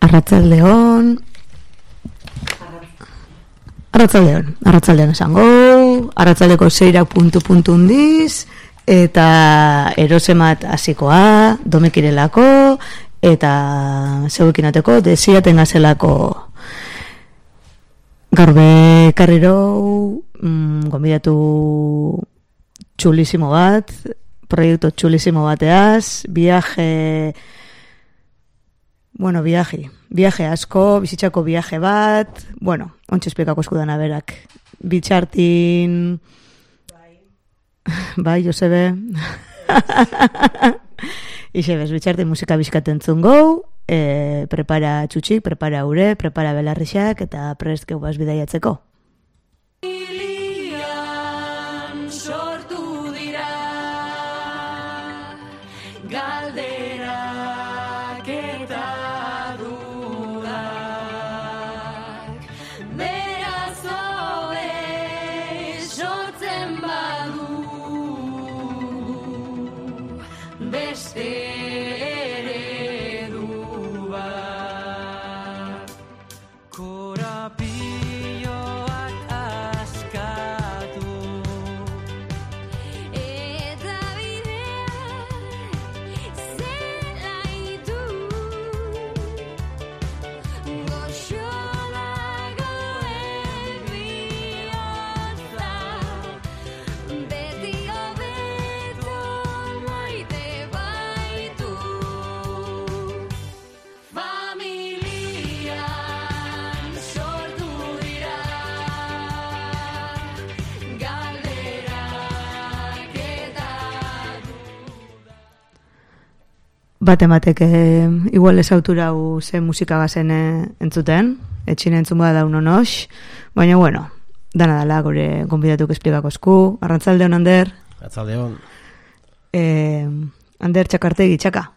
Arratsaldeon esango, arratsaldeko 6 puntu hundiz, eta erosemat hasikoa, domekirelako, eta zeuekin ateko, desiaten gazelako. Garbe karriro, gonbidatu txulisimo bat, proiektu txulisimo bateaz, viaje asko, bizitzako viaje bat, ontsa esplikako eskudana berak. Bitxartin... Bai, Josebe. Ixebez, bitxartin musika bizkaten zungou, prepara txutxik, prepara ure, prepara belarrixak, eta prest geubaz bidaiatzeko. Batemateke igual ezautura ze musika gazen entzuten, etxine entzun bada daun onox, baina dana dala gure gonbidatuk esplikako esku. Arratsaldeon, Ander. Arratsaldeon. Ander Txakartegi, Txaka.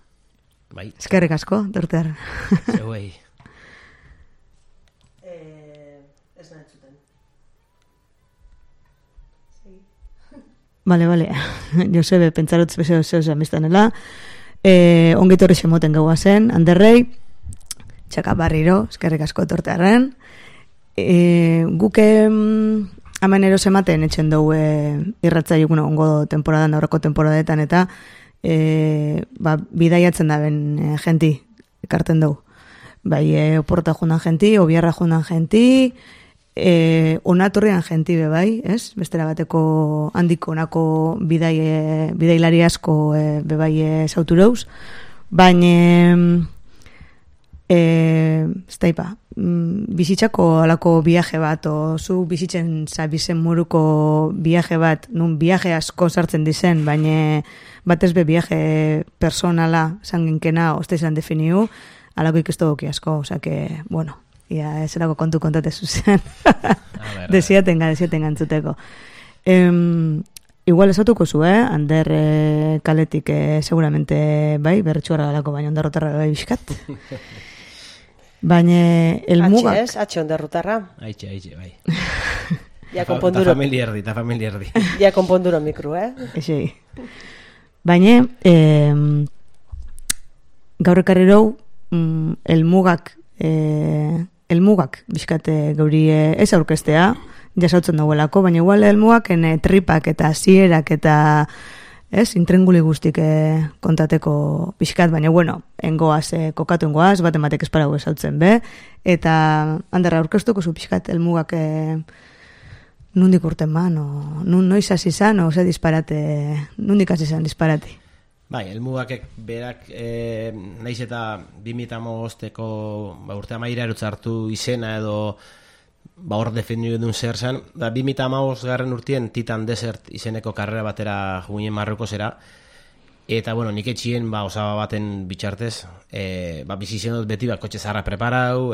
Bai. Eskerrik asko, dortear. Zeuei. Ez da entzuten. Bale. Josebe, pentsarotz bezeo zeu biztanela. Ongitorri semoten gaua zen, Anderrei, Txaka barriro, eskerrik asko etortearen. Guke hemen erosematen etxen dugu irratzaiuk ongo temporadan, aurreko temporadetan, eta bidaiatzen da ben jenti, ekarten dugu. Bai, oporta junan jenti, obiarra junan jenti, onatorrian jenti bebai, ez? Bestera bateko handiko onako bidailari asko bebai zautureuz, baina bizitzako alako viaje bat, o zu bizitzen zabizen muruko viaje bat, nun viaje asko sartzen dizen, baina batez be viaje personala zanginkena, oste izan definiu, alako ikestu duki asko, osake, ia eserako kontate zuzen. Desiaten gantzuteko. Igual esatuko zu, Ander kaletik seguramente bai, berretxuarra galako, baina ondarrotarra bai bizkat. Baina elmugak... Atxe ondarrotarra. Aitxe, bai. Ja konponduro. Ta familia erdi. Ja konponduro mikro, Ezi. Baina, gaur ekarrirou, elmugak bizkate gauri ez aurkestea, jasautzen dagoelako, baina igual elmugak tripak eta zierak eta intrenguli guztik kontateko bizkat, baina engoaz, kokatu engoaz, batematek esparago esautzen be, eta handerra aurkestuko zu bizkat elmugak nundik urten ba, noiz hasi zan, o ze disparate, nundik hasi zan disparati. Bai, elmugakek berak naiz eta 2015ko urte amaira erutzartu izena edo hor defendiu edun zer zen, 2015 garren urtien Titan Desert izeneko karrera batera juginen Marrokosera, eta nik etxien osaba baten bitxartez, bizitzen dut beti kotxe zarra preparau,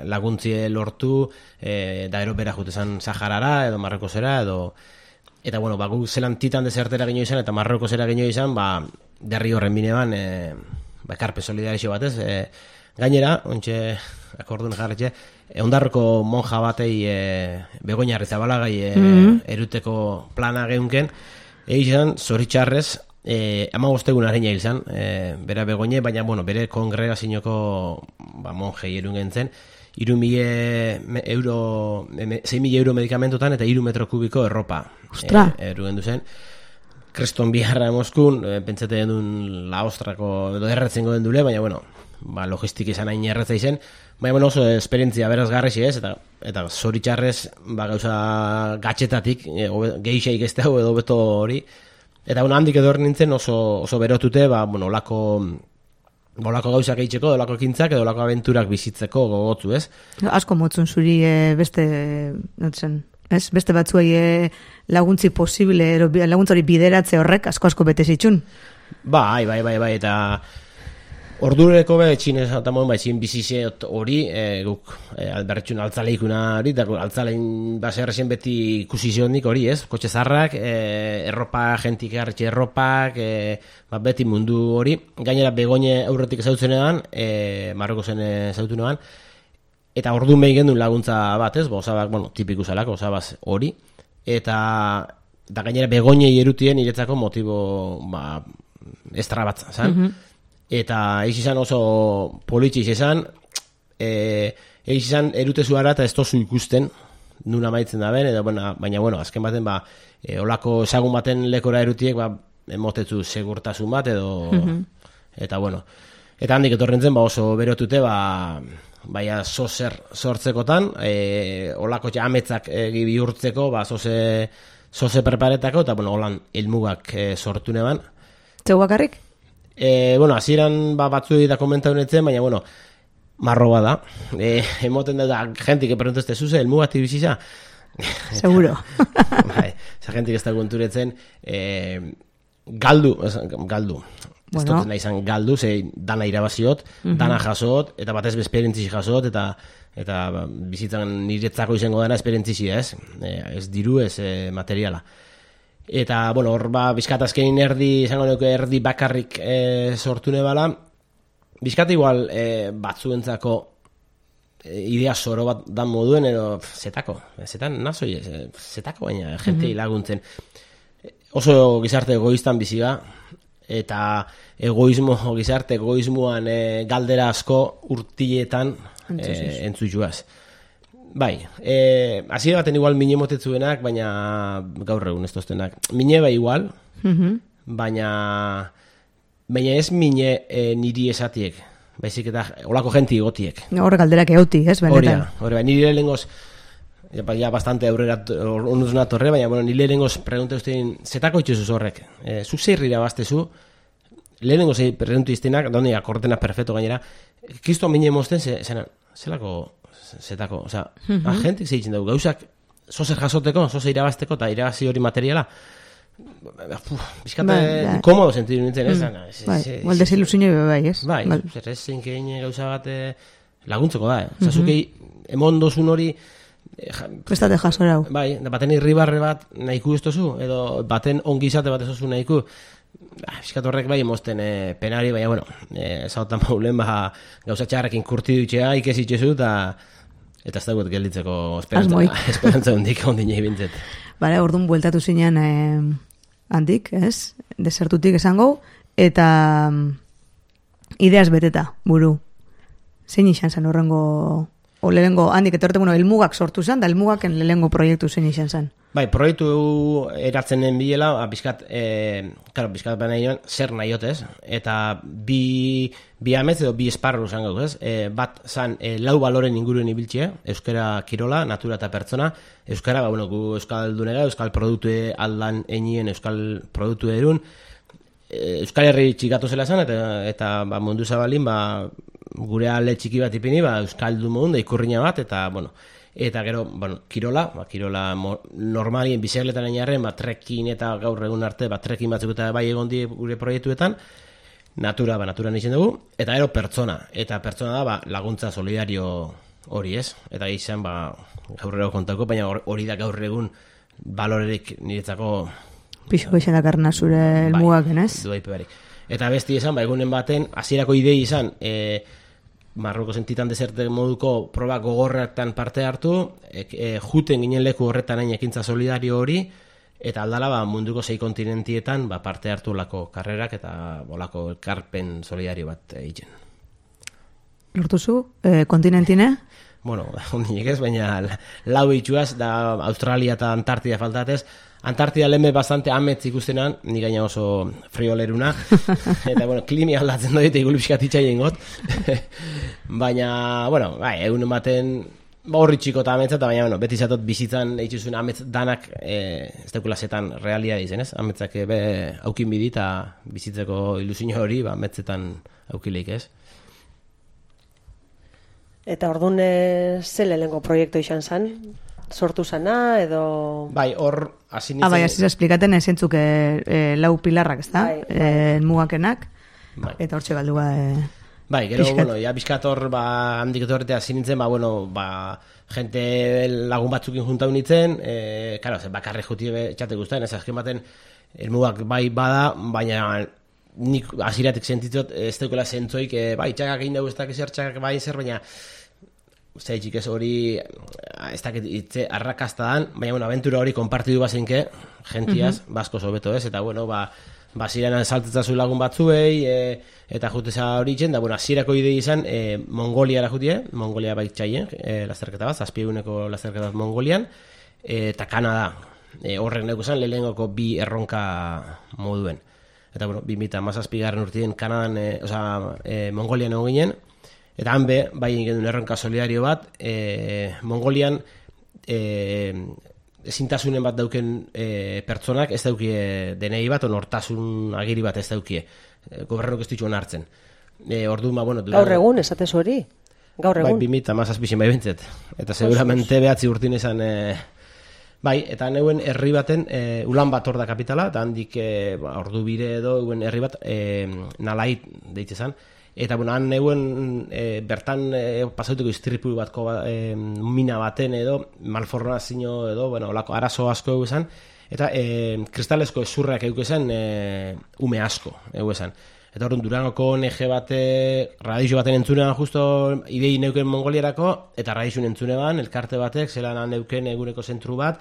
laguntzie lortu, da ero bera jutezan Saharara edo Marrokosera edo... Eta, gu zelan Titan Desertera genio izan, eta Marrokosera genio izan, derri horren bineban, ekarpe solidarizio batez. Gainera, ontxe, akordun jarretxe, ondarroko monja batei Begoña Arrizabalagai eruteko plana geunken, egizan, zoritxarrez, 15 areina hil zen, bera Begoñe, baina, bueno, bere kongregazioko monjei erun gentzen, 6.000 euro medikamentotan eta 3 metro kubiko erropa erun gendu zen. Kreston biharra Moskun, pentsatzen duen Laostrako edo erretzen goden dule, baina, bueno, logistik izan hain erretza izen, baina, bueno, oso esperientzia berazgarrezi ez, eta zoritxarrez, gauza gatxetatik, geixaik ez dago edo beto hori, eta handik edo nintzen oso berotute, bueno, olako gauzak eitzeko, olako ekintzak, edo olako abenturak bizitzeko gogotzu, ez? Asko motzun zuri beste batzuei laguntzi posible, laguntzari bideratze horrek asko bete zitxun. Bai, eta ordureko txinez eta txin bizize hori, guk albertxun altzaleikuna hori, eta altzalein baserrezen beti ikusi zionik hori, ez? Kotxe zarrak, erropa, jentik hartxe erropak, beti mundu hori. Gainera Begoñe aurretik ezautzen edan, Marroko zen ezautu neban, eta ordu mehi gendun laguntza bat, ez? Osabak, bueno, tipiku zalako, osabaz hori. Eta gainera Begoñei erutien iretzako motibo, estra bat, zan? Eta eiz izan oso politxiz izan, eiz izan erutezu ara eta ez tozu ikusten, nuna maitzen da ben, baina, bueno, azken baten, olako ezagun baten lekora erutiek, emotetzu segurtasun bat, eta, bueno, eta handik etorrentzen, oso berotute, baina zozer sortzekotan, olako ametzak bihurtzeko, zoze preparetako, eta, bueno, holan helmugak sortu neban. Zeu bakarrik? Bueno, hasieran batzuei da komentatu netzen, baina, bueno, marroba da. Emoten da, jentik eperontezte zuze, helmugatik biziza. Seguro. Esa jentik ez da konturetzen, galdu. Ez dut nahi izan galdu, dana irabaziot, dana jasot, eta batez esperientzizi jasot, eta bizitzan niretzako izango dana esperientzizi, ez? Ez diru, ez materiala. Eta, bueno, hor bizkatazkenin izango nuke erdi bakarrik sortu nebala, bizkata igual batzuentzako idea zoro bat dan moduen, edo zetan nazoi, zetako baina jentei laguntzen. Oso gizarte egoistan biziga, eta gizarte egoismoan galdera asko urtiletan entzutuaz. Bai, hasiera baten igual mine motetzuenak, baina gaur egun ez toztenak. Mine bai igual, baina ez mine niri esatiek, baizik eta olako jenti gotiek. Horre galderak euti, ez, benetan. Hori, nire lehengoz, ja bastante aurrera onduzuna torre, baina nire lehengoz pregunta ustein, zetako itxuzuz horrek? Zuk zeirrira baztezu, lehengoz preguntu iztenak, donde akortena perfecto gainera, kisto mine mozten, zelako zetako, oza, agentik zeitzen dugu, gauzak zozer jasoteko, zozer irabazteko, eta irabazi hori materiala, bizkate komodo sentidu nintzen, ez? Bai, desilusinio bai, ez? Bai, zer ez zinkein gauza bat laguntzeko da, oza, zukei emondozun hori prestate jasorau. Bai, baten irribarre bat nahiku ez tozu, edo baten ongizate bat ez oso nahiku, bizkat horrek bai emozten penari, baina, bueno, zautan maulen, gauza txarrekin kurti dutxea, ikesitxezu, eta ez dagoet gelditzeko esperantza hondik ondinei bintzet. Bale, orduan bueltatu zinean handik, ez? Desertutik esango, eta ideaz beteta, buru. Zein izan zen horrengo, lehengo handik etorte, elmugak sortu zen, da elmugaken lehengo proiektu zein izan zen. Bai, proiektu eratzen den bilela, bizkat baina joan, zer nahiotez, eta bi amez edo bi esparru zango, ez? Bat zan, lau baloren inguruen ibiltxe, euskara kirola, natura eta pertsona, euskara, gu euskal dunera, euskal produktu aldan einien, euskal produktu erun, euskal herri txikatu zela zan, eta mundu zabalin, gure alde txiki bat ipini, euskal du modun, da ikurriña bat, eta gero, kirola normalien bizikletan ainarren, trekin eta gaur egun arte, trekin batzuk eta bai egon die gure proiektuetan, natura nixen dugu, eta gero pertsona da laguntza solidario hori, ez? Eta izan, gaur egun kontako, baina hori da gaur egun balorerik niretzako pixko izan dakarna zure elmugaken, ez? Eta besti izan, egunen baten, hasierako idei izan, Marroko sentitan deserte moduko proba gogorretan parte hartu, juten ginen leku horretan hain ekintza solidario hori, eta aldala munduko 6 kontinentietan parte hartu lako karrerak eta olako elkarpen solidario bat egiten. Lortuzu, kontinentine? Bueno, ondinek ez, baina lau itxuaz, da Australia eta Antartida faltatez. Antartida lehme bastante ametz ikustenan, ni gaina oso frioleruna, eta, bueno, klimi aldatzen doite igulipskat itxaien got. Baina, bueno, egun ematen, horri txiko eta ametza, eta baina, bueno, beti zatot bizitzan eitxuzun ametz danak, ez daukula zetan realia dizen, ez? Ametzak aukin bidi eta bizitzeko ilusio hori, ametzetan aukileik, ez? Eta orduan ze lehenengo proiektu izan zen? Sortu zana, edo... Bai, hor, hasi nintzen... Bai, hasi esplikaten esentzuk lau pilarrak, ez da? Mugakenak, eta hortxe galdua... Bai, gero, bueno, ya bizkator, handik etorretea hasi nintzen, gente lagun batzukin juntau nintzen, karo, bakarre juti txate guztien, ez azken baten, elmugak bai bada, baina nik hasiratik sentitzot, ez daukela zentzoik, bai, txakak egin dugu ez dakiz txakak bai zer, baina zaitxik ez hori ez dakit itze arrakastadan, baina, bueno, aventura hori konpartidu bazenke, gentiaz, basko sobeto ez, eta, bueno, ziren saltetzazu lagun batzuei, eta juteza hori itzen, da, bueno, hasierako idei izan, Mongoliara jutie, Mongolia baitxaien, lasterketa bat, 7 eguneko lasterketa bat Mongolian, eta Kanada, horrek neko zen, lehengoko 2 erronka moduen. Eta, bueno, 2017 urtien Kanadan, Mongolian egon ginen, eta hanbe, bai egin erronka solidario bat, Mongolian ezintasunen bat dauken pertsonak ez daukie denei bat, nortasun agiri bat ez daukie. Gobernuk ez dituen hartzen. Orduan, bueno... Gaur egun, esatez hori? Gaur egun? Bai, 2017 bai bintzet. Eta seguramente behatzi urtin izan... Bai, eta neuen herri baten, Ulan Bator da kapitala, eta handik ordu bire edo herri bat, Nalait deitze zan. Eta, bueno, han neuen bertan pasautuko istripu batko mina baten edo, malformazio edo, bueno, olako arazo asko egu esan, eta kristalesko ezurrak egu esan, ume asko egu esan. Eta horren Durangoko ONG bate, radixo baten entzunean justo idei neuken Mongoliarako, eta radixun entzunean, elkarte batek, zelan neuken eguneko zentru bat,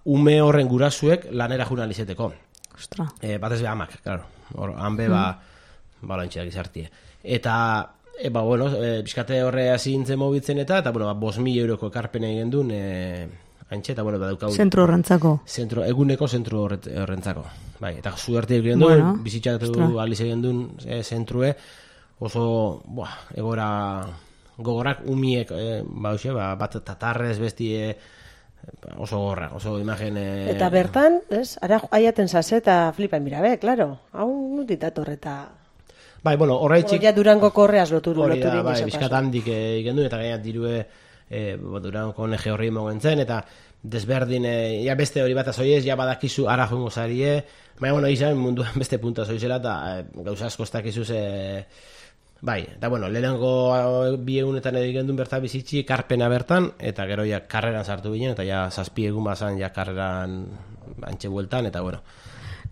ume horren gurasuek lanera jurnalizeteko. Ostra. Batez be amak, claro. Hanbe, balantxeak izartie. Eta, bueno, bizkate horre hasi nintzen mobitzen eta, bueno, 5.000 euroko ekarpena egin duen, haintxe, eta, bueno, daukau... Zentro horrentzako. Eguneko zentro horrentzako. Bai, eta zuerte egin duen, bizitzatu aliz egin duen zentrue, oso, egora gogorak umiek, bat tatarrez bestie, oso gorra, oso imagen... Eta bertan, ez, ara aiaten zase eta flipain birabe, klaro, hau nutitator eta... Bai, bueno, horreitxik... Ja Durango korreaz loturik. Bai, bizkat handik egin duen, eta gainat dirue Durango ONG horri mogen zen, eta desberdin, ja beste hori bat azoiez, ja badakizu ara joango zarie, baina, bueno, izan munduan beste punta azoizela, eta gauza asko ez dakizuz... Bai, eta, bueno, lehenengo 2 egunetan egin duen bertan bizitzi, karpena bertan, eta gero ja karreran sartu ginen, eta ja 7 egun bazan ja karreran antxe bueltan, eta, bueno...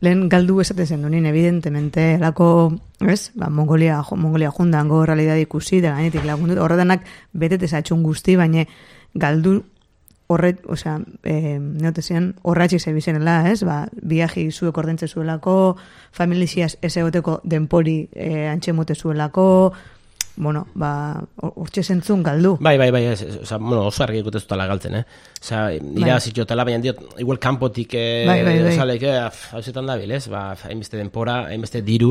Lehen galdu esaten zen dunin, evidentemente, lako, ez, Mongolia jundango realidad ikusi, da gainetik lagundu, horretanak betete zatxun guzti, baina galdu horret, osea, neotezian, horratxik zebizenela, ez, viaji zuek ordentze zuelako, familiziaz ez egoteko denpori antxemote zuelako, bueno, hortxe zentzun galdu. Bai, oza, bueno, oso argi ekote zutala galtzen, Oza, irabazitxotela, baina diot, igual kanpotik osalek, hauzetan dabil, ez? Hainbeste denpora, hainbeste diru,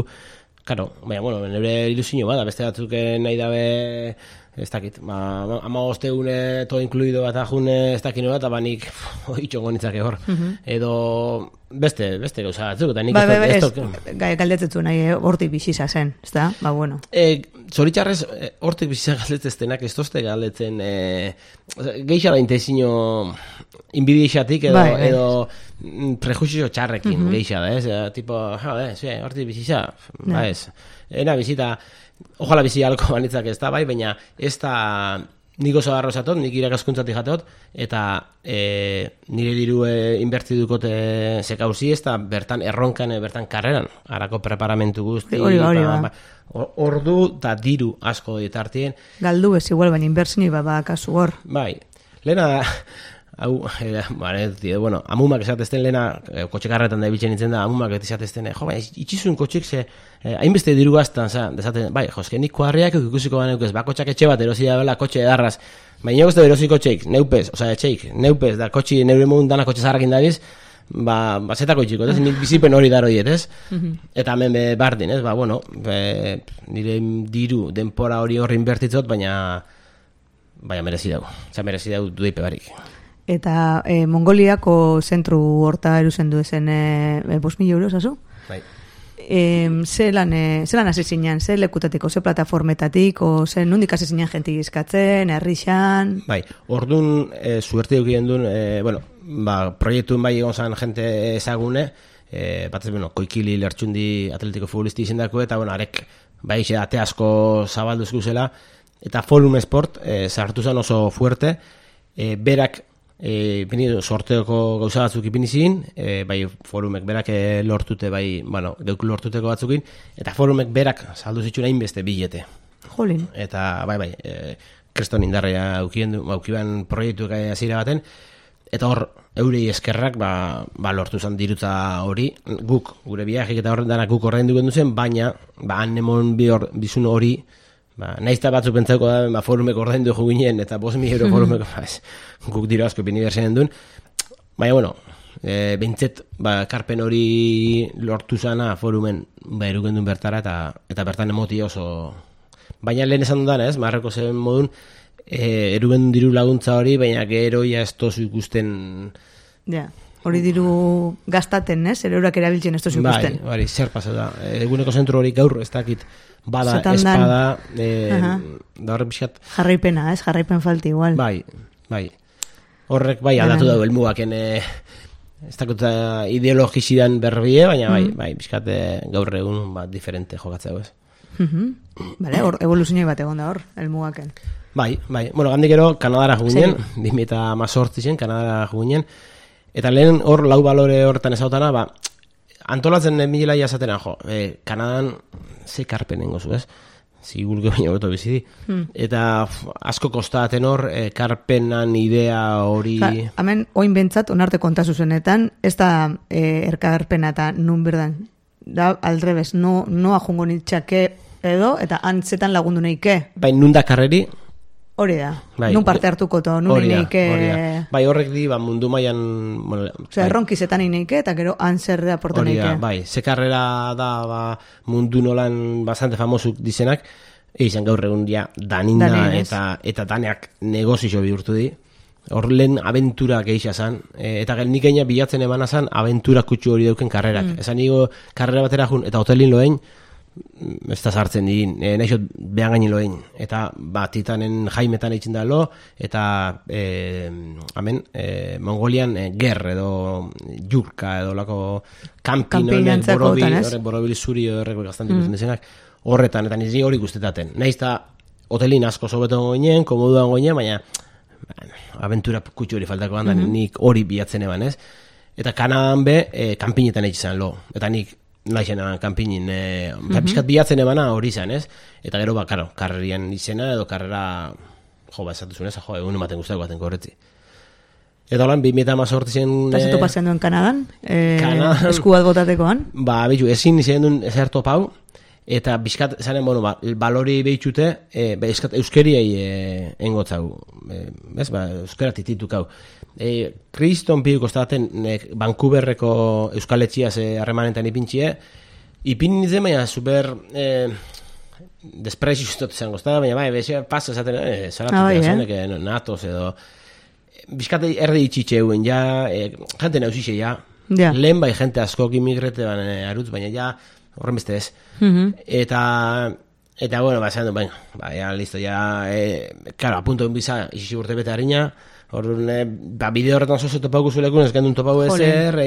karo, baina, bueno, nire ilusio bada, beste batzuk nahi dabe, ez dakit, 15 egune todo incluido bat ajune, ez dakit bat, abanik, itxongo nitzake hor, edo beste gauza batzuk, eta nik ez galdetzen nahi hortik biziza zen, ez da? Bueno. Zoritxarrez, hortik biziza galdetzeztenak ez tozte galdetzen, geixa da intezino inbidiexatik edo prejuizio txarrekin geixa da, ez? Tipo, hortik biziza, ez. Ena bizita, ojalá bizi alko banitzak ez da, bai, baina ez da nik oso garro esatot, nik irakaskuntzatik jatot, eta nire diru inberti dukote zekauzi ez da bertan erronkan, bertan karreran, harako preparamentu guzti, ordu eta diru asko ditartien. Galdu ez igual, baina inbertsini kasu hor. Bai, lehena hau, bueno, amumak esatezten lehena, kotxekarretan da ibiltzen nintzen da, amumak esatezten, jo, baina, itxizun kotxek ze, hainbeste diru gaztan, desaten, bai, joske, nik kuadriak ikusiko baneukez, bakotxak etxe bat erosia bela, kotxe edarraz, baina nik uste erosi kotxeik, neupez, etxeik, neupez, da kotxi, neure modun dana kotxe zaharrakin dabiz, zetako itxiko, ez, nik bizipen hori daro diet, ez? Eta hemen bardin, ez, bueno, nire diru, denpora hori inbertitzot, baina merezi dago duipe barik. Eta Mongoliako zentru horta eruzen du ezen 5.000 euros, azu? Bai. Zelan hasi zinen, ze lekutatiko, ze plataformetatik, o ze nondik hasi zinen jenti izkatzen, herrixan? Bai, orduan suerte dukien duen, proiektuen bai egon zan jente ezagune, batez, Koikili Lertxundi atletiko futbolisti izendako, eta, arek, bai, ate asko zabalduzku zela, eta Forum Sport sartu zen oso fuerte, berak sorteoko gauza batzuk ipinizin, bai Forumek berak lortute, bai, geuk lortuteko batzukin, eta Forumek berak saldu zituen hainbeste bilete. Jolin. Eta, bai, kriston indarrea aukiban proiektuak hasiera baten, eta hor, eurei eskerrak, lortu zen dirutza hori, guk, gure biajik eta horren danak guk horrein duken duzen, baina, anemon bizun hori, naizta batzuk pentsauko da, Forumek ordaindu jo ginen, eta 5.000 euro Forumek, guk dira asko binibertsen duen. Baina, bintzet, karpen hori lortu zana Forumen, eruken duen bertara, eta bertan emoti oso. Baina lehen esan dudan, ez, marreko zen modun, eruken diru laguntza hori, baina gero ja ez tozu ikusten. Ja. Hori diru gastaten, ez? Eurak erabiltzen ez tozu ikusten. Bai, zer pasa da. Eguneko zentru hori gaur ez dakit bada, espada, da horren pixat. Jarraipena, ez? Jarraipen falti igual. Bai. Horrek bai aldatu dago elmugaken ez dakit ideologizidan berbie, baina bai, pixkat gaur egun diferente jokatzea, ez? Bale, hor evoluzioi bat egon da hor, elmugaken. Bai. Bueno, gandik ero Kanadara juginen, 2018 zen, Kanadara juginen, eta lehen hor lau balore hortan ezautana, antolatzen milela jasatena, Kanadan ze karpenen gozu, ez? Zigulke baina beto bizidi. Eta asko kostaten hor, karpenan idea hori... Hemen, oin bentsat, onarte kontazu zenetan, ez da erkarpena eta nun berdan. Da, aldrebes, noa jungo nitxake edo, eta antzetan lagundu neike. Bai, nun da karreri... Hori da, nun parte hartuko to, nun ineike... Bai, horrek di, mundu mailan... Erronkizetan ineike, eta gero antzerre aportu neike. Bai, ze karrera da mundu nolan bastante famosuk dizenak, izan gaur egun dia daninda eta daneak negozio bihurtu di. Hor lehen aventura geixa zan, eta nik eina bilatzen emana zan aventura kutsu hori dauken karrerak. Esan nigo karrera batera jun, eta hotelin loein, ez da sartzen digin, naixot behan gainin loein, eta Titanen jaimetan eitzen da lo, eta Mongolian ger edo jurka edo lako kampin borobil zuri horrek gaztan dikutzen desenak, horretan, eta nizi hori guztetaten. Naiz da hotelin asko sobeton goinen, komoduan goinen, baina aventura kutsu hori faltako handan, nik hori bilatzen eban, ez? Eta Kanadan be, kanpinetan eitzen lo, eta nik naixen kanpinin, pizkat bilatzen ebana hori izan, ez? Eta gero, karrerian izena edo karrera, esatuzun ez, egun ematen guztako baten korretzi. Eta holan, 2018 zen... Pasetu pasean duen Kanadan? Esku bat botatekoan? Bitu, ezin izan duen ezer topau, eta bizkat, zanen, balori behitxute, bizkat euskeriai engotzau, ez, euskera tititukau. Kriston piu kostaten Vancouverreko euskaletxiaz harremanetan ipintxie, ipin nintzen, baina super desprezio ustot izango, baina bai, pasa esaten, zaratu natoz edo, bizkat erdi itxitxe euen, jente nauzixe, lehen bai jente askok imigrete arutz, baina horren beste ez. Eta bueno, esan du, listo, claro, apunto biza, isi urte bete harina, bideo horretan zozo topauko zuelekun, ez gendun topau ezer,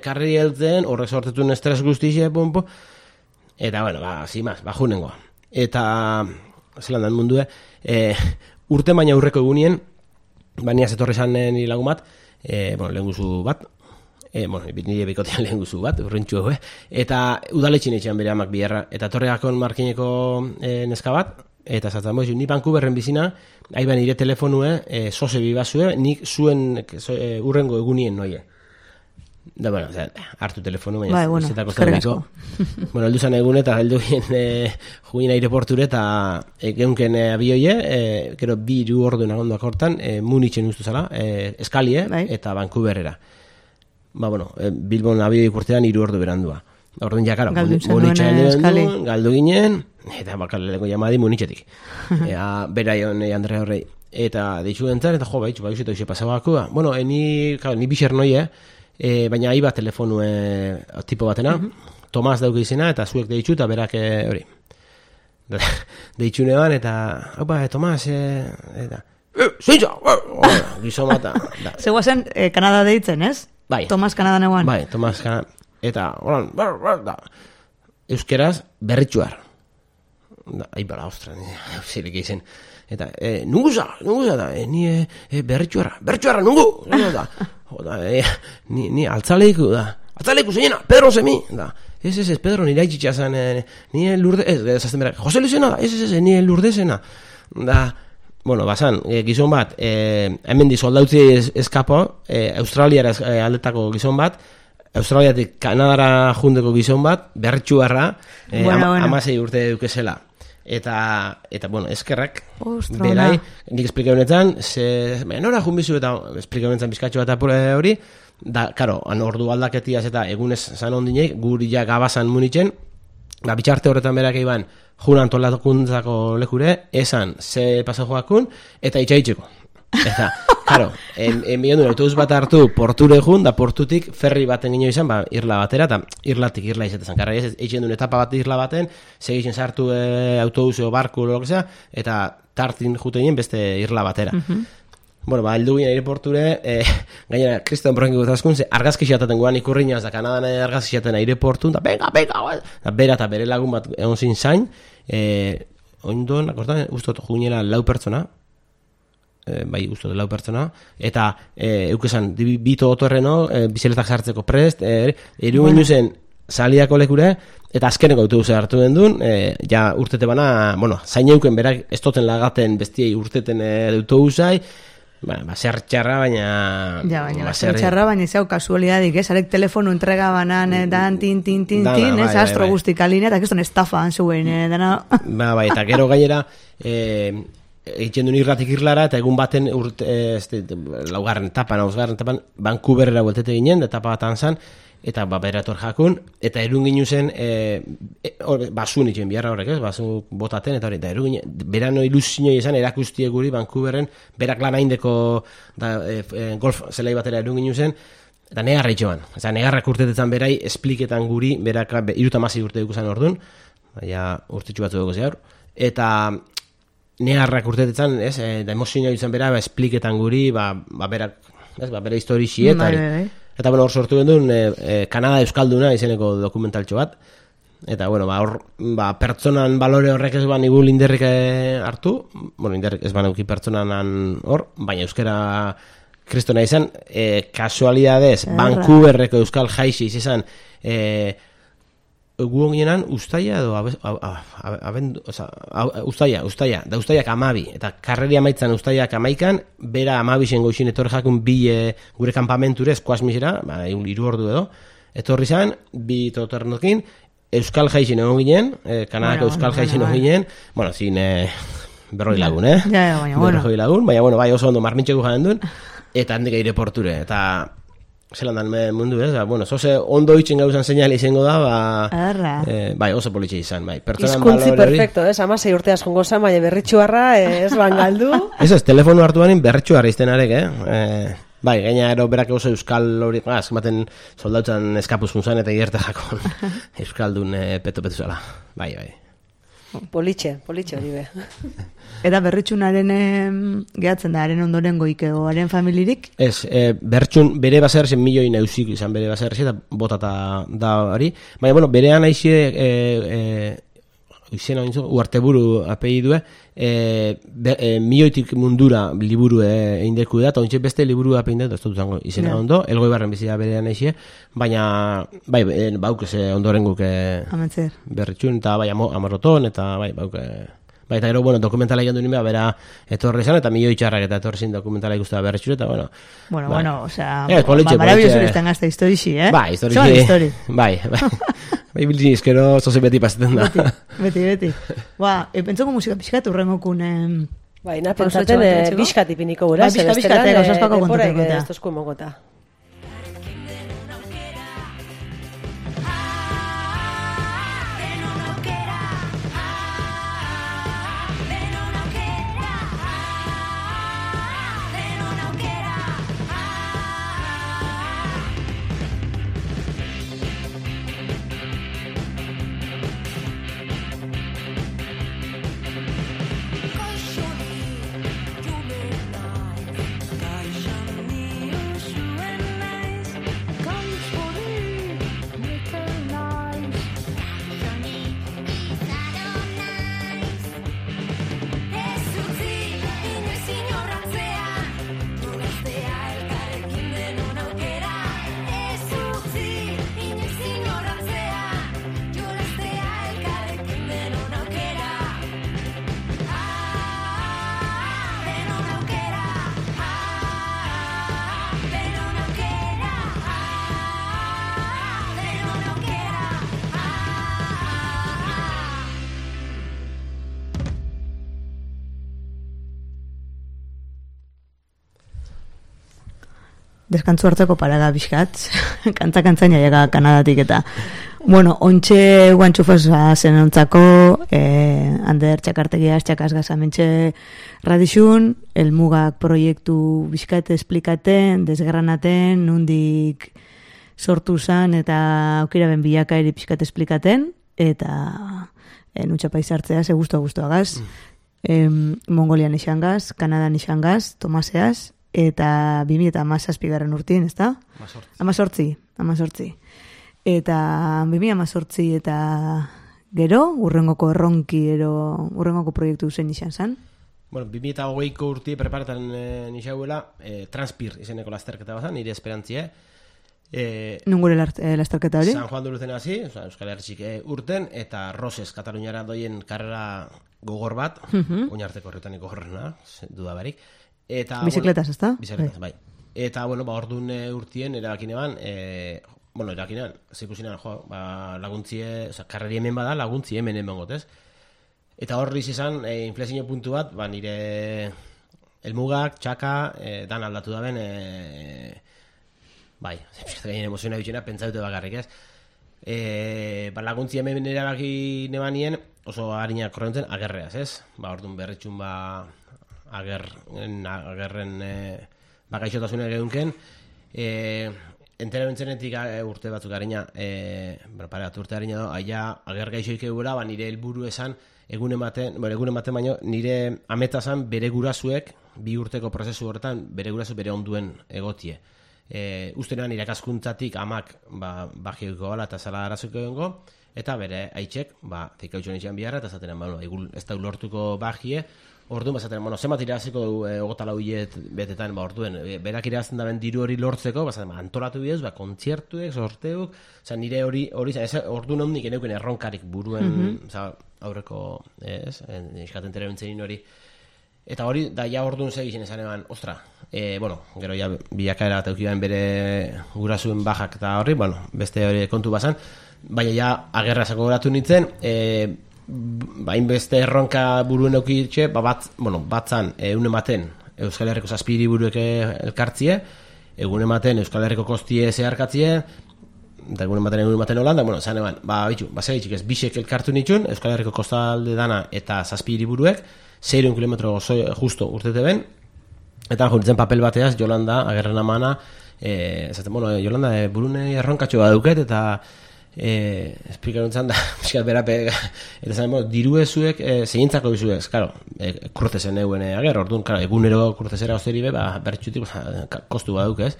karri heltzen, horrek sortetun estres guztixe, eta bueno, zimaz, junengoa. Eta, zelan dan mundue, urte baina aurreko egunien, baina zetorri zan nire lagun bat, lehen guzu bat, nire bikotean lehen guzu bat, urrentxu eta udaletxin etxean bere amak biherra, eta torreakon markineko neska bat, eta zaten boizu, ni Vancouverren bizina, haiban nire telefonue, soze bibazue, nik zuen urrengo egunien noie. Da, bueno, hartu telefonu, baina bai, bueno, eskerrik asko. Bueno, heldu zan egun eta heldu ginen aireporture eta geunken abioie, gero 2 ordu nagondoak hortan, Munitzen ustu zala, eskalie bai. eta Vancouverera. Ba, bueno, Bilbon abioi urtean 3 ordu berandua. Orduan ja, karo, Munitzen galdu ginen, eta bakaleleko jamadi Munitzetik. Beraion Andrea horrei. Eta deitzu entzaren, eta jo, baitzu, eta hoxe pasabakua. Bueno, ni bixer noie, baina aiba telefonu tipo batena, Tomas dauke izena, eta zuek deitzu, eta berak hori. Deitzu neban, eta, haupa, Tomas, eta, zeintza, gizon bat. Zegoazen, Kanada deitzen, ez? Bai. Tomas Kanada neguan. Bai, Tomas Kanada. Eta, horan, euskeraz, berritxuar. Aibala, ostra, zirik izen. Eta, nunguza, da, ni berritxuarra, nungu, da. Ni altzaleiko, da. Altzaleiko zeinena, Pedro Semi, da. Ez, Pedro nire haitxitxa zan, nire lurde, zazten berak, Jose Luisena, da, ez, nire lurdezena. Da, bueno, basan, gizon bat, hemen di soldautzi eskapo, Australiara aldetako gizon bat, Australiatik Kanadara jundeko gizon bat, berritxuarra, amasei urte dukezela. Eta bueno, eskerrak, berai, nik esplika honetan, nora junbizu eta esplika honetan bizkatxo bat hori, da, karo, ordu aldaketiaz eta egunez zan ondinek, guri ja gabazan Munitzen, bitxarte horretan berak eiban, junan tolatakuntzako lekure, esan, ze pasa joakun, eta itxaitzeko. Eta, karo, enbion duen autobus bat hartu porture jun, da portutik ferri baten gino izan, irla batera, eta irlatik irla izatezen. Karra, eitzen duen etapa bat irla baten, segitzen sartu autobus o barku o lokesa, eta tartin jute ginen beste irla batera. Bueno, heldu ginen aireporture, gainera, Kriston Bronki gutazkun, argazki xataten guan ikurriñaz, da Kanadan argazki xataten aireportun, da venga, da bera eta bere lagun bat egon zin zain, oindon, akortan, ustot juginera 4 pertsona, bai, usto de 4 pertsona, eta eukesan, bito otorreno, bizeletak sartzeko prest, eru zen saliako lekure, eta azkeneko autobusa hartu den duen, ja urtete bana, bueno, zain euken berak estoten lagaten bestiei urteten autobusai, zer txarra, baina... Ja, baina, zer txarra, baina zau kasualidadik, ez? Arek telefonu entrega banan, dan, tin, ez? Astro guztik aline, eta keston estafa anzuen, dana... Bai, eta gero gainera, egiten duen irratik irlara, eta egun baten laugarren etapan, Vancouverera bueltete ginen, etapa batan zan, eta berator jakun, eta erun ginu zen, basun itxen biharra horrek, ez? Basu botaten, eta hori, eta erun ginen, berano ilusinoi esan, erakustie guri Vancouverren, berak lan haindeko golf zelai batera erun ginu zen, eta negarra itxoan. Eta negarrak urtetetan berai, espliketan guri, berak 36 urte dukusan orduan, baina urtetxu batzu dugu zehar, eta negarrak urtetetan, ez, da emozioa izan bera, espliketan guri, berak, ez, bera historixi eta bueno, hor sortu gendun, Kanada Euskalduna izeneko dokumentaltxo bat, eta bueno, hor, pertsonan balore horrek ez nigu linderrik hartu, bueno, linderrik ez baneuki pertsonan hor, baina euskera kristona izan, kasualidadez, Vancouverreko euskal jaixi izan, guon ginenan ustaia edo ustaiak 12, eta karreri amaitzan ustaiak 11, bera 12 goixin etorri jakun gure kampamenture eskuasmisera, 3 ordu edo, etorri zan, 2 totornokin, euskal jaixin egon ginen, Kanadako euskal jaixin egon ginen, bueno, zin berroi lagun, berroi lagun, baina, bai oso ondo marmintxeko jaren duen, eta handik aireporture, eta zelan dan mundu, ez? Bueno, zoze ondo itxen gauzan seinale izango da, bai, oso politxe izan, bai. Hizkuntzi perfecto, ez? 16 urteaz jongo zan, baina berritxuarra, ez bangaldu. Ez, telefonu hartu banin berritxuarra iztenarek, bai, gaina ero berak oso euskal hori, eskematen soldautzan eskapuzkun zan, eta ierte jakon euskaldun peto-petu zala, bai. Politxe hori be. Eta berritxunaren gehatzen da, haren ondoren goikeo, haren familirik? Ez, berritxun bere baserrezen milioi nausik izan bere baserrezen, eta botata da hori. Baina, bueno, berean aixe, izena uarteburu apellidue, milioitik mundura liburu eindeku da, eta ontsi beste liburu apellidue, ez dut zango izena ondo, elgoi barren bizia berean aixe, baina, bai, bauk ez ondoren guk berritxun, eta bai, amarroton, eta bai, bauk Baita gero, bueno, dokumentala egin duen bera etorri izan, eta milioi txarrak eta etorri zin dokumentala ikustea berretxure, eta bueno. Bueno, osea, politxe. izan gazte historixi, Bai, historixi. Bai. Bai, biltzen izkero zoze beti paseten da. Beti. Pentsoko musika pixkat urrengokun... Bai, pentsaten bizkat ipiniko gura, bizkat, gozazpako kontateko. Ez tozko emogota. Deskantzu hartzeko paraga bizkat, kantza llega Kanadatik eta bueno, ontxe guantxufasa zen ontzako Ander txakartegia txakaz gazamentxe radixun, elmugak proiektu bizkat esplikaten, desgranaten, nundik sortu zan eta aukira ben bilaka eri bizkat esplikaten eta nuntxa paisartzea ze guztua-gaz. Mongolian isangaz, Kanadan isangaz, Tomaseaz, eta 2017 urtien, ez da? 18. Eta 2018 eta gero, urrengoko erronki, urrengoko proiektu zen izan zen? Bueno, 2008ko urti preparatan nixauela, Transpir izeneko lasterketa bazan, nire esperantzie. Nungure lasterketa hori? San Juan de Luzen hasi, Euskal Hertzik urten, eta Roses, Kataluniara doien karrera gogor bat, oinarteko horretaniko gogorrena, dudabarik. Bizikletas, ez da? Bizikletas, bai. Eta, bueno, orduan urtien erabakinean, zikusinan, laguntzie, karreri hemen bada, laguntzie hemen gotez. Eta horri izan, inflexio puntu bat, nire elmugak, txaka, dan aldatu da ben, bai, gainen emoziona bitxena, pentsaute bakarrik ez. Laguntzie hemen erabaki nebanien, oso harinak korrentzen, agerreaz, ez? Orduan berritxun, agerren bakaixotasunak egunken entera bentzenetik urte batzuk harina urte harina da aia ager gaixoik egura nire helburu esan egun ematen baino nire ameta zan bere gurasuek bi urteko prozesu horretan bere gurasu bere onduen egotie ustenean irakaskuntzatik amak bagioiko gala eta zala arazuko egongo eta bere aitzek zikautxoan itxean biharra eta zaten ez da lortuko bagie. Orduan bazaten, zemat iraziko ogota lau hilet betetan, orduen, berak irazten daben diru hori lortzeko, bazaten, antolatu bidez, kontzertuek, sorteuk, nire hori, orduan hondik eneuken erronkarik buruen, aurreko, eskaten terebentzenin hori. Eta hori, da ja orduan segizien esan eban, ostra, gero ja bilakaera eta eukibaren bere gurasuen bajak eta horri, beste hori kontu bazan, baina ja agerra zako goratu nintzen, hainbeste erronka buruen eukitxe, batzan egun ematen Euskal Herriko zazpiri buruek elkartzie, egun ematen Euskal Herriko kostie zeharkatzie, eta egun ematen Holanda, zan eban, segitxik ez, bisek elkartu nitxun, Euskal Herriko kostalde dana eta zazpiri buruek, 6 kilometro justo urtete ben, eta juritzen papel bateaz, Jolanda, agerren amana, Jolanda, burune erronkatxo bat duket, eta esplikaruntzan da berape eta zain diruezuek zehintzako dizuek kurtezen eguen ager orduan egunero kurtezera osteri bertxutik kostu baduk ez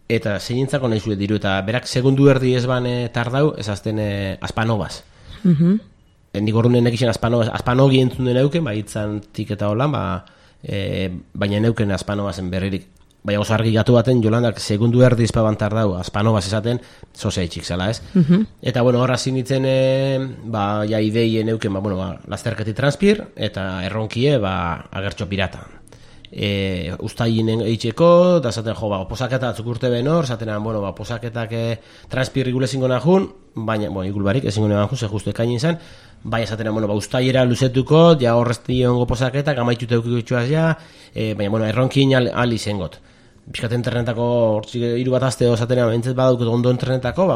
eta zehintzako nahi zuek diru eta berak segundu erdi ez ban tardau ez azten aspanobaz nik orduan nekixen aspanogi entzun den euken hitzan tik eta holan baina neuken aspanobazen berririk bai oso argi gatu baten, Jolandak segundu erdi izpabantar dau, azpanobaz esaten, zoze itxik zela, ez? Eta, bueno, horra zinitzen, ja ideien euken, lasterketi transpir, eta erronkie, agertxo pirata. Ustaien eitxeko, da zaten, posaketa atzuk urte ben hor, zatenan, posaketak transpir igule zingo nahun, baina, igul barik, ezingo nahun, ze justu ekaini izan, baina zatenan, ustaiera luzetuko, ja horrezti ongo posaketak, amaitute eukiko itxuaz ja, baina, erronkin ali zengot. Bizkat internetako, hortzik hiru bat azte osatenean, entzet badaukut ondo internetako,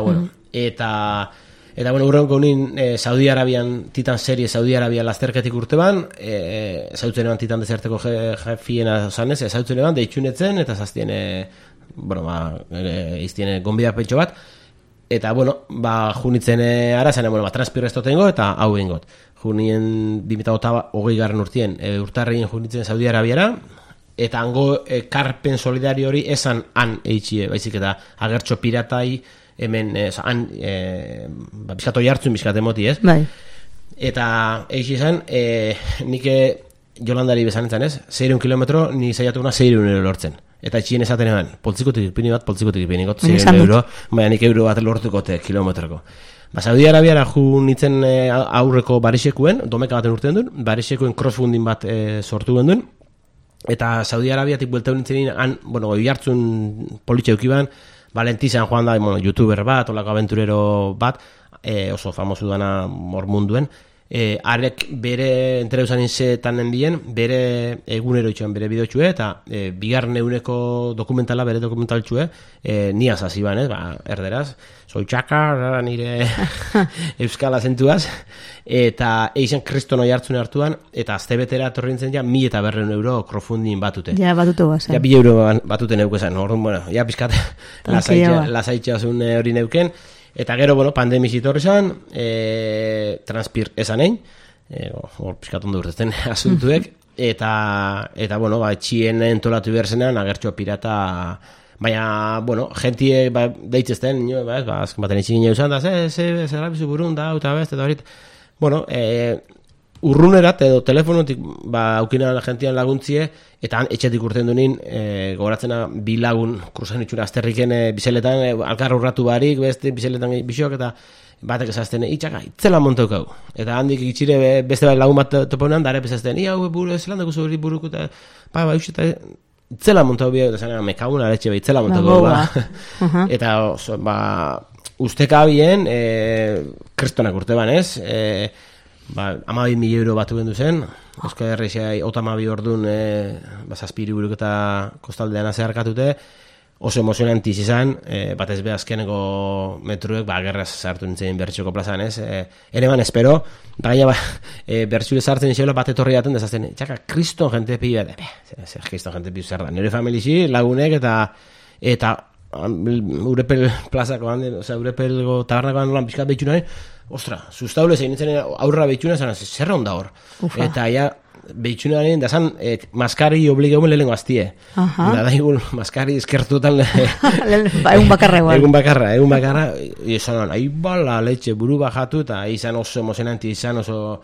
eta urrenko unin Saudi Arabian, Titan serie Saudi Arabian lasterketik urte ban, zautzen eban Titan dezerteko jefiena zanez, zautzen eban, deitxunetzen, eta zaztien, iztien gonbida pentso bat, eta, junitzen arazen, transpiro ez dotengo, eta hau ingot. Junien 2008 garren urtien, urtarrein junitzen Saudi Arabiara, eta hango karpen solidario hori esan han eitxie, baizik eta agertxo piratai hemen, han bizkato jartzun bizkate moti, ez? Bai. Eta eitxie esan, nik Jolandari bezanetzen, ez? 600 kilometro, ni zaiatukuna 600 euro lortzen. Eta etxien esaten eban, poltzikotik ipini bat, 600 euro, baina nik euro bat lortukote kilometroko. Saudi Arabiara ju nitzen aurreko barixekuen, domeka baten urtean duen, barixekuen crossfunding bat sortu duen, eta Saudi Arabiatik buelta nintzen han, jartzun politxe eukiban, Valentizan joan da, youtuber bat, olako aventurero bat, oso famosu dana mordmunduen, arek bere entreuzan inzetan bien, bere egunero itxuan bere bideotxue, eta bigarren eguneko dokumentala, bere dokumentaltxue, niaz hasi ban, erderaz, zoitxaka, nire euskal azentuaz, eta eixen kriston oi hartzune hartuan, eta azte betera etorri nintzen ja, 1.200 euro crowdfunding batute. Ja, batutu bazen. Ja, 1.000 euro batute neukezan, ja, pizkat, lasaitxasun hori neuken, eta gero, pandemiz itorri zan, transpir esan egin, hor pizkat ondo urtetzen asuntuek, eta etxien entolatu behar zenean, agertxo pirata, baina, jentie deitzezten, azken baten itxin gine usan, da, zer bizu burun, da, eta best, eta horit, urrunerat edo telefonotik aukinan gentian laguntzie, eta han etxetik urten dunin, gogoratzena bi lagun kruzan itxuna azterriken bizeletan, alkar urratu barik, beste bizeletan bisok, eta batek esazten, itxaka, itzela montaukau. Eta handik itxire beste lagun bat toponean, dara pesazten, hau buru, zelan dugu zuri buruko, eta eta itzela montau bia, eta zanean, mekaguna letxe itzela montau eta usteka bien, kristonak urte ban, ez? 12.000 euro batu gendu zen, Euskal Herria 32 ordun zazpiri buruk eta kostaldean zeharkatute, oso emozionantiz izan, batez be azkeneko metruek, gerraz sartu nintzen bertxoko plazan, ez? Ere ban, espero, gaina bertxule sartzen izelo bat etorri daten, dezazten, txaka, kriston jente pila, zer kriston jente pila zer da, nire familixi, lagunek, eta Urepel plazako handen, Urepelgo tabernakoan lan pizkat behitxunaren, ostra, sustaule zein nintzen aurra behitxuna, zer onda hor. Eta ja, behitxunaren, da zan, maskari obligeumen lehenko aztie. Da daigun, maskari eskertutan egun bakarra igual. Egun bakarra, izan, ahi bala letxe buru bajatu, eta izan oso emozionanti, izan oso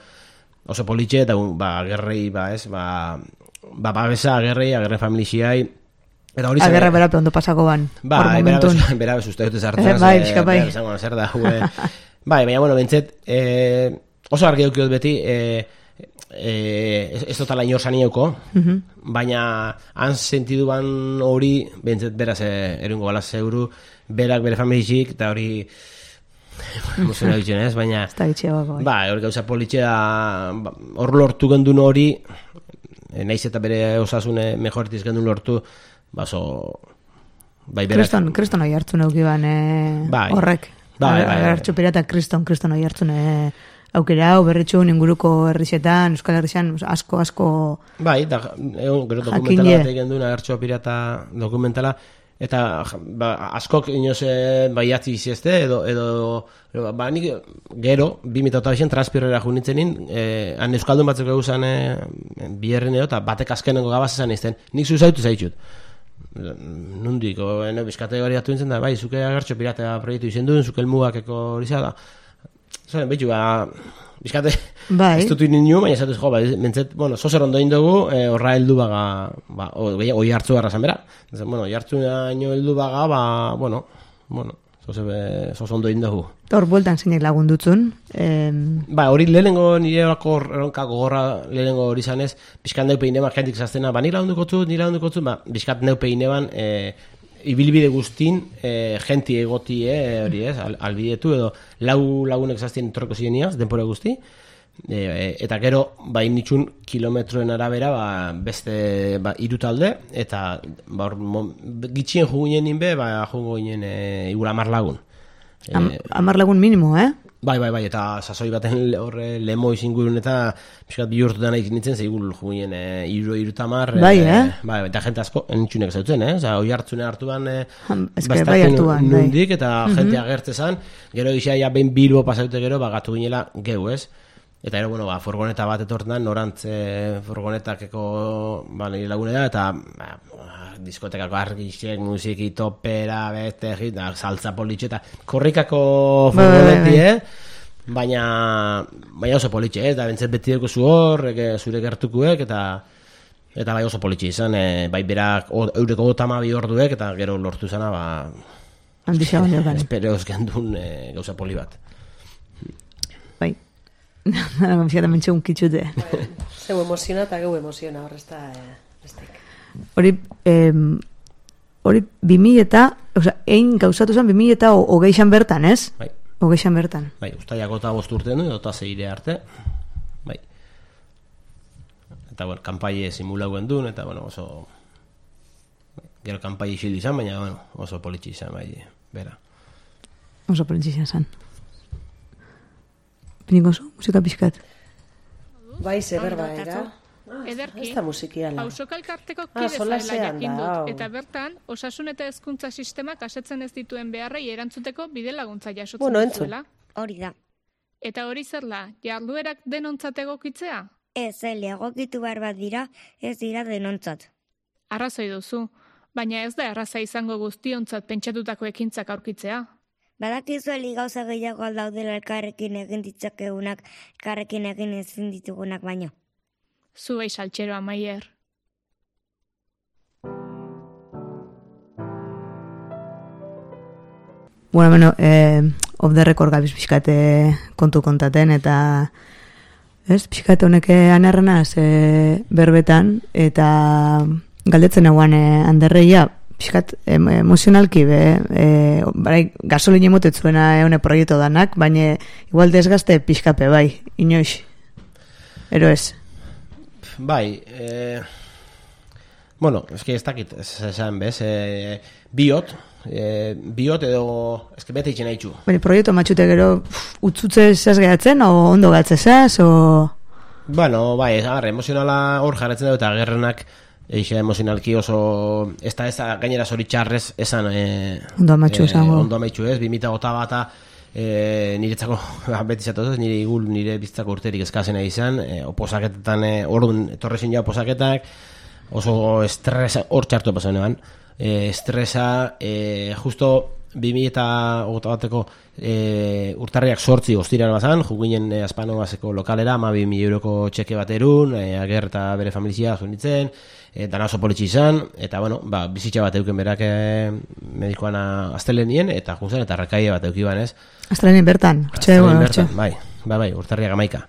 politxe, eta gerrei, babesa gerrei familixiai, agerra berape ondo pasako ban. Berabe uste dute zartzen. Bai. Zer da, baina, bentzet, oso argi eukiot beti, ez dutala inor zanieuko, baina han sentiduan hori, bentzet beraz erungo balaz euru, berak bere familixik, eta hori emozioa ditzen ez, baina hori gauza politxea, hor lortu gendun hori, naiz eta bere osasune mejoretiz gendun lortu, Kriston oi hartzun eukiban horrek. Agertxo pirata kriston oi hartzun aukera hau berretxun inguruko herrixetan, Euskal Herrixan, asko gero dokumentala bat egin duen agertxo pirata dokumentala, eta askok inoz baiatzi iziezte, edo nik gero 2008an transpirrera junitzenin, han Euskaldun batzuk eguzan biherrin edo, eta batek azkenengo gabaz esan izten, nik zuzautu zaitut. Nundik, bizkate hori atu nintzen da, zuke agertxo pirata proiektu izen duen, zuke elmugakeko hori da, behitu, bizkate, Bai. ez dut ninu, baina esatuz, mentzet, zozer ondo indugu, horra heldu baga, oi hartzu barra zan bera. Oi hartzu naino heldu baga, zoze ondo indugu. Hor, bueltan zeinek lagundutzun. Hori lehenengo nire erronka gogorra lehenengo hori zanez, bizkat neupe ineban jentik zaztena, nire lagundukotzut, bizkat neupe ineban, ibilbide guztin jenti egoti hori ez, albidetu edo lagunek zaztien torreko zieniaz, denpora guzti, eta gero nitxun kilometroen arabera beste irutalde, eta gitxien juguinen inbe, jugu ginen igula 10 lagun. 10 lagun minimo, Bai, eta sasoi baten horre lemo izingurun eta piskat bihurtu dena nintzen, zeigul jugien irutamar. Eta jente asko, entxunek zautzen, oi hartzune hartuan bastatzen nundik, eta jente agertzezan, gero gisa behin Bilbo pasaute gero, gatu ginela geu, ez? Eta ero, furgoneta bat etortan, norantz furgonetakeko nire lagunera, eta diskotekako argixek, musiki, topera, beste, saltza politxe, eta korrikako furgoneti, baina oso politxe, eta bentzet beti dugu zu hor, zure gertukuek, eta bai oso politxe izan, bai berak eureko 12 orduek, eta gero lortu zana, handixea baino espereoz gendun gauza poli bat. Bai. Gomziata mentxe unkitxute. Zeu emoziona eta geu emoziona, horrezta bestek. Hori 2000 eta, egin gauzatu zen 2020 bertan, ez? Bai. 20 bertan. Bai, ustaiako eta 5 urten du, eta 6 arte. Bai. Eta, kanpaie simulauen duen, eta, oso... Gero kanpaie isildu izan, baina, oso politxe izan, bai, bera. Oso politxe izan. Piniko zu, musika pixkat? Bai, zeberba, era? Ederki, ez da musikiala. Pausokalkarteko kide zaela jakin dut, eta bertan, osasun eta hezkuntza sistemak asetzen ez dituen beharrei erantzuteko bide laguntza jasotzen duzuela. Hori da. Eta hori zerla, jarduerak denontzat egokitzea? Ez, egokitu behar bat dira, ez dira denontzat. Arrazoi duzu, baina ez da arraza izango guztiontzat pentsatutako ekintzak aurkitzea. Badakizu gauza gehiago aldaudela elkarrekin egin ditzakegunak, elkarrekin egin ezin ditugunak baino. Zuei saltxeroa, Maier. Off the record gabiz pixkate kontu kontaten, eta pixkate honek anarrenaz berbetan, eta galdetzen eguan Anderreia, pixkat emozionalki gasolin emotetzuena eune proiektu danak, baina igual desgazte pixkape bai, inoiz. Ero ez? Bai, eski ez dakit, esan bez, biot edo, eski bete itxen haitxu. Proiektu matxute gero utzutze zaz gehatzen, o ondo gatzezaz, o... Bai, emozionala hor jarretzen dugu eta gerrenak eixe emozionalki oso, ez da gainera zoritxarrez esan ondo amatxu esango. Ondo amatxu ez, 2008 bata niretzako beti zatoz, nire bizitzako urterik eskazena izan, oposaketetan orduan etorrezin ja oposaketak, oso estresa, hor txartu pasan eban, estresa, justo 2008 bateko urtarriak 8 ostiran bazan, juginen Aspano bazeko lokalera, 12.000 euroko txeke baterun, Ager eta bere familizia junitzen, dana oso politxe izan, eta bizitza bat euken berak medikoan astelenien, eta juntzen, eta rakaia bat eukiban, ez? Astelenien bertan, bai, urtarriak 11.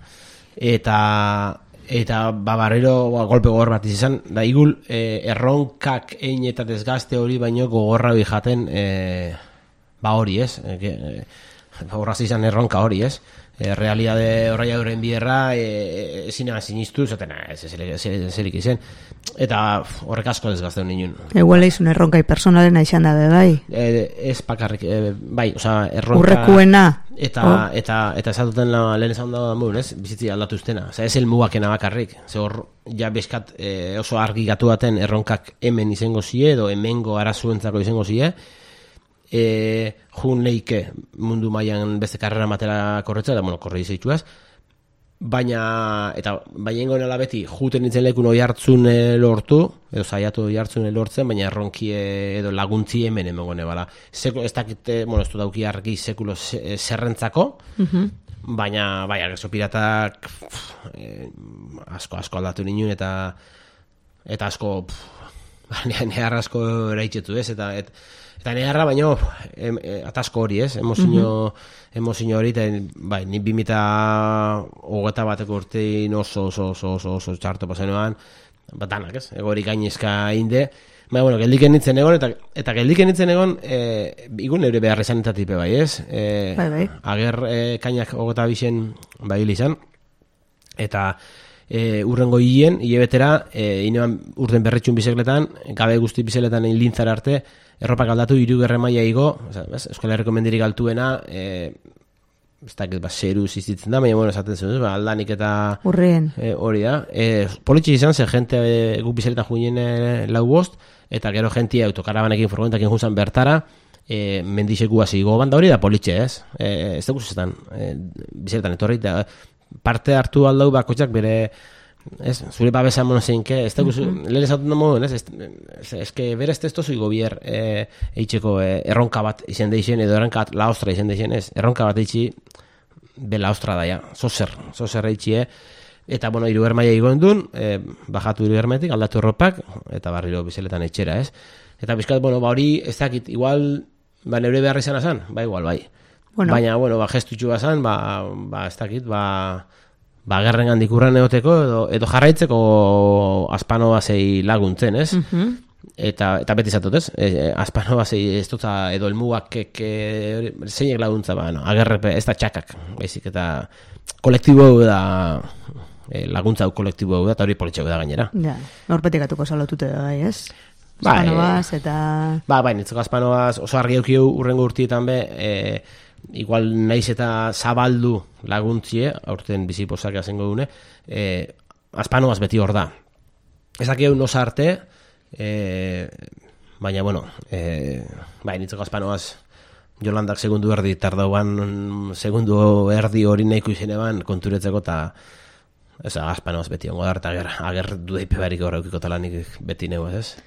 Eta barrero golpe gogor bat izan, da igul erronkak ein eta desgazte hori baino gogorra bijaten hori, ez? Horraz izan erronka hori, ez? Realidade horreia euren bierra ezina sinistu, zaten zelik izen. Eta horrek asko desgazte honin. Eguala izun erronkai personalena izan dabe, bai? Ez pakarrik, bai, erronka... Urrekuena. Eta esatuten lehen esan da muen, ez? Bizitzi aldatu ustena. Ez helmugakena bakarrik. Ze hor, ja bezkat oso argi gatu baten erronkak hemen izango zie, edo hemengo arazuentzako izango zie, jun leike mundu mailan beste karrera matera korretza, eta korre izaituaz, baina ingoen alabeti juten nintzen lekun oi hartzun lortu, edo zaiatu oi hartzun lortzen, baina erronki edo laguntzi hemen emengone bala. Ez dakit, ez du dauki argi sekulo zerrentzako, baina, bai, agertxo piratak asko aldatu ninen, eta asko, neharra asko eraitzetu, ez, eta neharra, baino, atasko hori, ez, emozio hori, eta, bai, ni 2021 urtein oso txarto pasenoan, danak, ez, egorik gainezka inde, baina, bueno, geldiken nintzen egon, eta geldiken nintzen egon, igun neure behar izan entatipe, bai, ez? Bai. Ager kainak 22 bai izan, eta urrengo hilebetera, inean urten berretxun bizekletan, gabe guzti bizekletan lintzar arte, erropak aldatu 3. maila igo, Euskal Herriko mendirik altuena, ez dakit, zeru zizitzen da, baina, bueno, esaten zen, aldanik eta urrien hori da. Politxe izan, ze jente guk bizeletan juinen 4-5, eta gero jentia autokarabanekin, furgonetakin junzan bertara, mendixeku hasi igo banda hori da politxe, ez? Ez da guztetan, bizeletan etorri, eta parte hartu aldau bakotxak bere, ez, zure babesa monozeinke, ez da guztu, lehen esatun da moduen, ez, bere ez testozu gobier eitzeko erronka bat izen deixen, edo erronka bat laostra izen deixen, ez, erronka bat eitzi be laostra daia, zozer eitzie, eta, bueno, 3. maila igoen duen, bajatu 3. mailetik, aldatu erropak, eta barriro bizeletan etxera, ez. Eta bizkat, bueno, hori, ez dakit, igual, neure behar izan azan, igual, bai. Bueno. Baina, bueno, gestutxu bazan, ez dakit, gerren gandik urren egoteko, edo jarraitzeko Aspano basei laguntzen, ez? Eta beti zatot, ez? Aspano basei ez dut, edo elmugak zeinek laguntza, agerre, ez da txakak, baizik, eta kolektibo da, laguntza kolektibo da, eta hori politxeko da gainera. Ja, norpetikatuko salotute da, bai, ez? Aspanoaz, eta... Bai, nitzeko Aspanoaz oso argi eukiu urrengo urtietan be, igual naiz eta zabaldu laguntzie, aurten biziposak azengo dune, Aspanoaz beti hor da. Ezakeu nosa arte, baina, bueno, bai, nitzeko Aspanoaz Jolandak segundu erdi tardauan, segundu erdi hori nahiko izan eban konturetzeko, eta ez Aspanoaz beti ongo da, eta ager dudeipe barik horreukiko talanik beti neu, ez?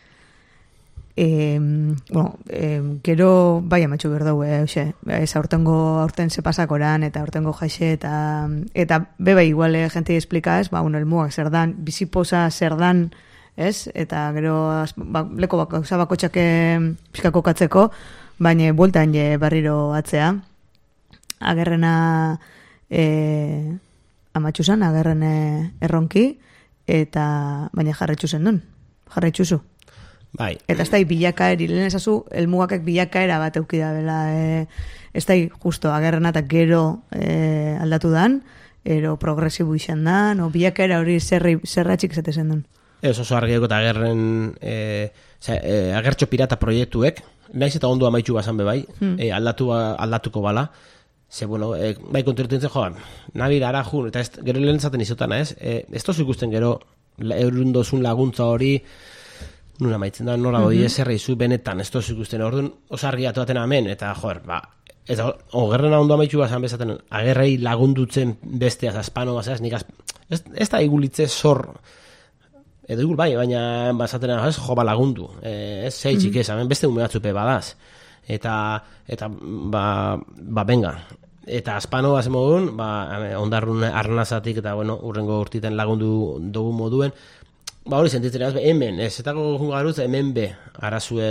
Gero bai amatxu berdau, aurten ze pasakoran, eta aurtengo jaixe, eta beba igual jente esplika, ez, elmuak zer dan, biziposa zer dan, ez, eta gero leko gauza bakotxake pixkako katzeko, baina bueltan barriro atzea, agerrena amatxu zan, agerren erronki, eta baina jarretxu zen duen, jarretxuzu. Bai. Eta ez da bilakaeri, lehen esazu, elmugakek bilakaera bat eukida bela, ez da justo agerrena eta gero aldatu dan, ero progresibu izan dan, o bilakaera hori zerratxik zatezen duen. Ez oso argieko eta agerren agertxo pirata proiektuek, naiz eta ondo amaitu bazan bebai, aldatuko bala, ze, bueno, bai konturetu nintzen joan, nabira arajun, eta gero lehen zaten izotana, ez tozu ikusten gero eurundozun laguntza hori, nuna maitzen da, nora doi eserra izu benetan, ez tozu ikusten, orduan oso argiatu aten amen, eta joer, eta ogerrena ondo amaitu bazan bezaten, agerrei lagundutzen besteaz, Aspano bazaz, nik ez da igulitze zor, edo igul bai, baina bazaten ez jo lagundu, ez zeitzik ez, beste ume batzupe badaz, eta benga, eta Aspano bazen moduen, ondarrun arnazatik, eta bueno, urrengo urtiten lagundu dugu moduen, hori sentitzen ez, hemen, ez, eta garuz, hemen be, arazue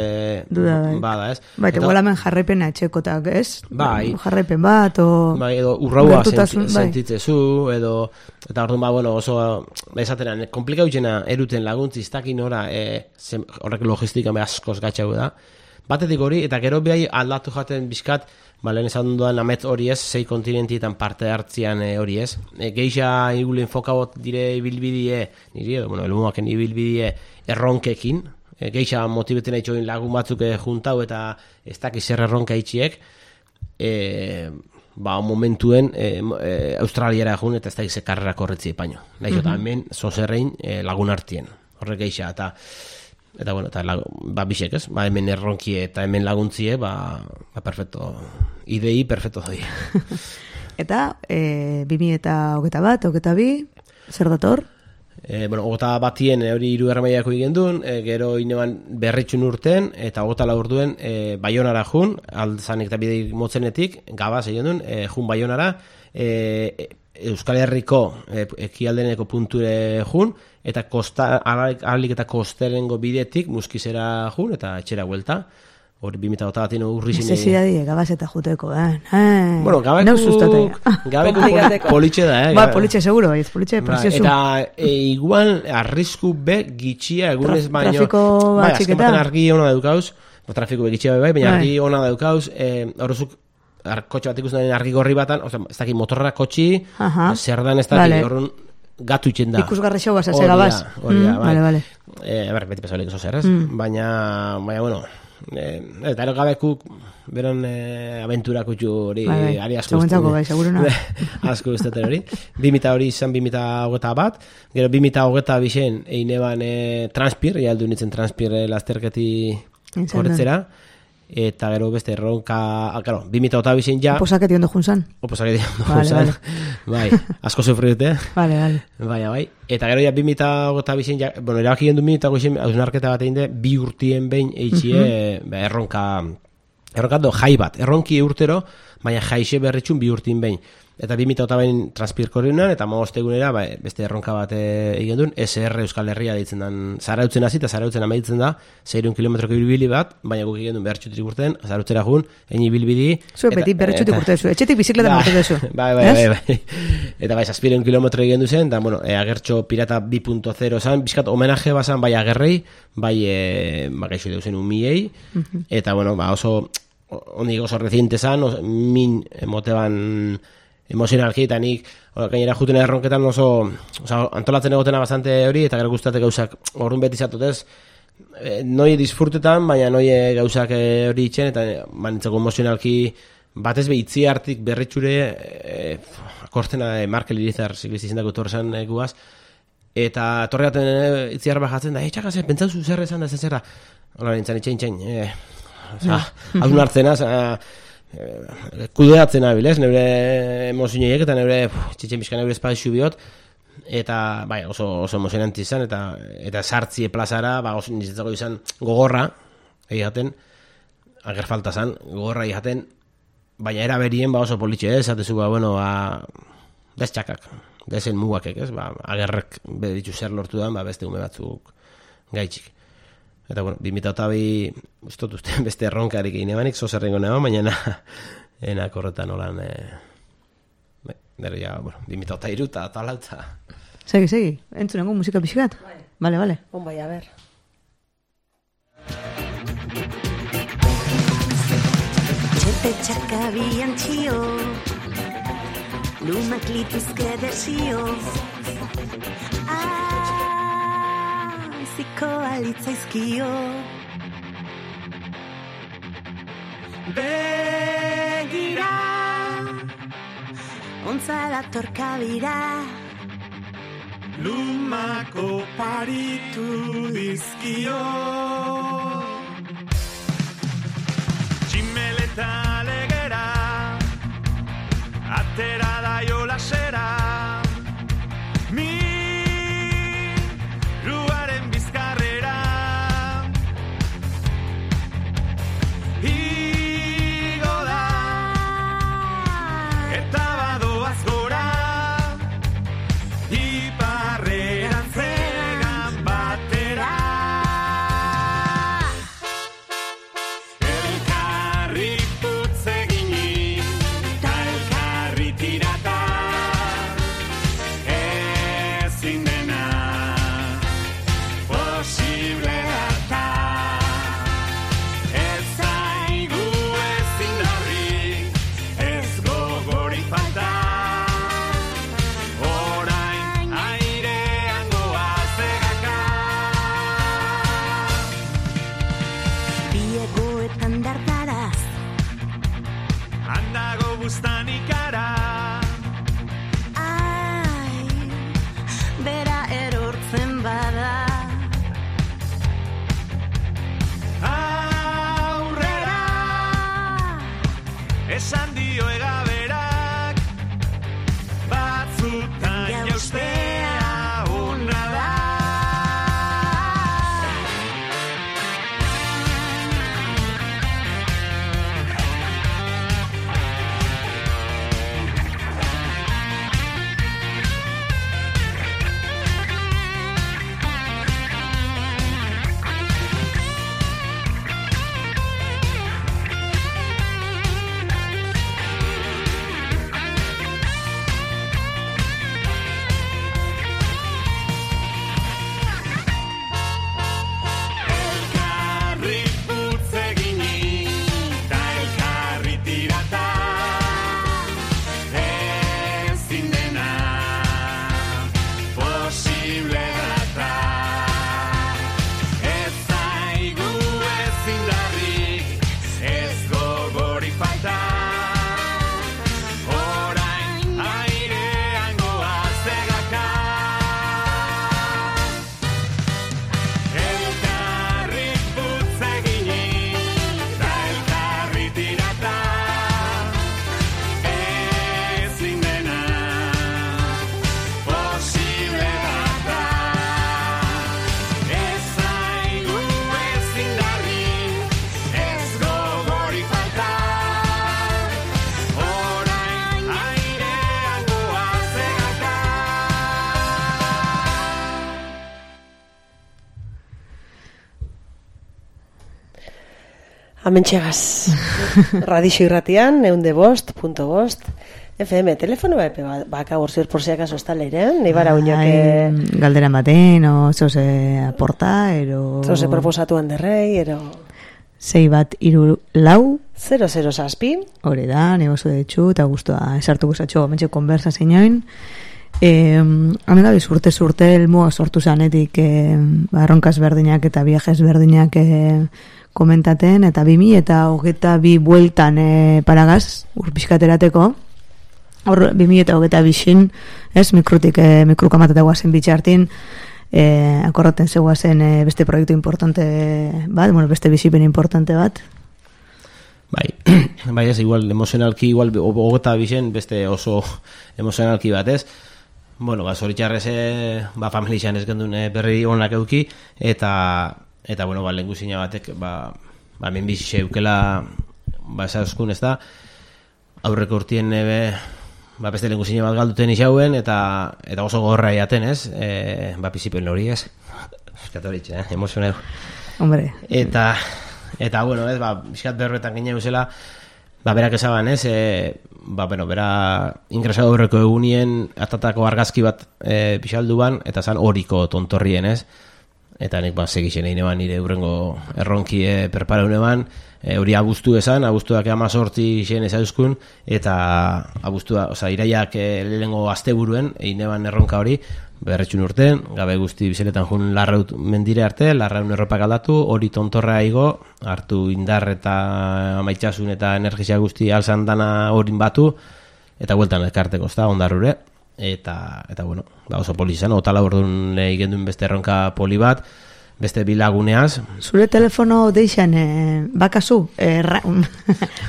bada, ez? Bai, eta hemen jarraipena etxekotak, ez? Bai. Jarraipen bat, bai, edo urraua sentitzezu, edo, eta orduan, bueno, oso, esateran, komplikau jena eruten laguntzi, ez dakin ora, horrek logistika askoz gatxau da. Batetik hori, eta gero behai aldatu jaten bizkat, lehen esan duan amet hori ez, 6 kontinentietan parte hartzian hori ez. Geixa igulen fokabot dire ibilbidie, niri edo, elmuaken ibilbidie erronkekin, geixa motibeten haitxoin lagun batzuk juntau eta ez dakiz zer erronka itxiek, momentuen Australiara jun eta ez dakiz karrera korretzi epaino. Nahiz, eta hemen zozerrein lagun hartien, horrek geixa, eta bueno, eta bisek ez, hemen erronkie eta hemen laguntzie, perfecto, idei perfecto doi. Eta 2021, 22, zer dator? Ogota batien hori 3. mailako egin duen, gero ineban berritxun urten, eta ogota laur duen Baionara jun, alzanik eta bide motzenetik, gabaz egin duen, jun Baionara, Euskal Herriko ekialdeneko punture jun, eta ahalik eta kosterengo bidetik muskizera jun, eta etxera huelta. Hori 2008 batien urri zine... Necesidadie, gabazeta juteko, Bueno, gabeku politxe da, politxe seguro, politxe precioso. Eta igual arrisku be gitxia egunez baino... Trafiko batxiketa. Azken argi ona daukauz, trafiko be gitxia bai, baina argi ona daukauz, horrezuk kotxe bat ikusten argi gorri batan, ez dakit motorra kotxi, zer dan ez dakit, horren gatu itxen da. Ikusgarri xau basa, segabaz. Vale. Beti pesolik oso zer, ez? Baina, bueno... Eta gabekuk beran aventura kutxu hori ari asko asko usteten hori 2000 hori izan 2021 gero 2022 eineban transpir jaldu nintzen transpir lasterketi horretzera eta gero beste erronka 2022 ja oposaketi ondo junzan bai, asko sufriute bai, eta gero ja 2022 ja, erabaki gendu 2022 hausnarketa bat egin de 2 urtien behin eitxie erronka do jai bat, erronki urtero baina jaixe berritxun 2 urtien behin eta 2022 transpirko horrean eta magostegunera beste erronka bat egin duen SR Euskal Herria deitzen den Zarautzen hasi eta Zarautzen amaitzen da 600 kilometroko ibilbili bat, baina guk egin duen bertxutik urten Zarautzera jun, egin ibilbidi zue beti bertxutik urte zu, etxetik bizikleta urte duzu bai eta bai, 700 kilometro egin duzen eta agertxo pirata 2.0 zan, bizkat homenaje bazan bai agerrei bai gaixo deusen umiei eta oso ondik oso reciente zan min moteban emozionalki eta nik gainera juten erronketan oso antolatzen egotena bastante hori eta gero gustate gauzak orrun beti zatotez noi disfrutetan baina noi gauzak hori itzen eta manitzako emozionalki batez behitzi hartik berritxure akortena Markel Irizar ziklisti zindako torresan guaz eta torreaten itziar bajatzen da txakaz, pentsauzu zer esan da zerra hola nintzen itxain haun hartzenaz kudeatzen abilez, neure emozioiek eta neure txitxen bizka neure espazio biot eta bai, oso emozionanti izan eta sartzie plazara oso niretzako izan gogorra egiaten, ager falta zan gogorra egiaten, baina era berien oso politxe esatezu bez txakak dezen mugakek, agerrek beditu zer lortu dan, beste ume batzuk gaitxik. Eta, 2022 ustot uste beste erronkarik egin ebanik, zozerrengo neba, baina enak horretan olan, nero ja, 2023 eta talaltza. Segi, entzunengo musika pixkat? Vale. Bai, a ber. Txepe txakabian txio, lumak lituzke desio, ziko alitzaizkio begira ontzala torkabira lumako paritu dizkio tximeleta legera atera da jolasera esan dio egaberak batzutan jaustea ona Amentxegaz. Radixo irratian, 105.5 FM, telefono baka borzior por si acaso está leirean, nahi bara uñak... Galdera maten, o zoze aporta, ero... Zoze proposatu handerrei, ero... 6-1-3-4 007 hori da, negozu detxu, eta guztua esartuko zatxo, mentxe konbersa zeinoin. Hemen gabiz urte elmoa sortu zanetik erronkaz berdinak eta viajes berdinak komentaten, eta 2022 bueltan paragaz, urpiskaterateko, hor 2022 ez, mikrukamateta guazen bitxartin, akorraten zegoazen beste proiektu importante bat, beste bizipen importante bat. Bai, ez, igual, emozionalki, igual, hogeta bizen, beste oso emozionalki bat, ez? Zoritxarrez, familixan ez gendun berri honak euki, eta lehenguzina batek, menbizi eukela, esauzkun, ez da, aurreko urtien beste lehenguzina bat galduten isauen, eta oso gorra iaten, ez? Pizipen hori, ez? Eskatoritxe, emozioneu. Hombre. Eta, ez, bizkat berroetan gine eusela, berak esaban, ez? Bera ingresado horreko egunien atatako argazki bat pixaldu ban, eta zan horiko tontorrien, ez? Eta nek segixen egin eban nire urrengo erronki perparaune ban, hori abuztu esan, abuztuak 18 zen ezauskun, eta iraiak lehengo asteburuen egin eban erronka hori, berretxun urten, gabe guzti bizeletan jun larraut mendire arte, larraun erropak aldatu, hori tontorra igo, hartu indar eta maitxasun eta energizia guzti alzan dana horin batu, eta hueltan elkarteko, ez da, ondarrure, eta oso poli izan, otala orduan igenduen beste erronka poli bat, beste bilaguneaz. Zure telefono deixan bakazu,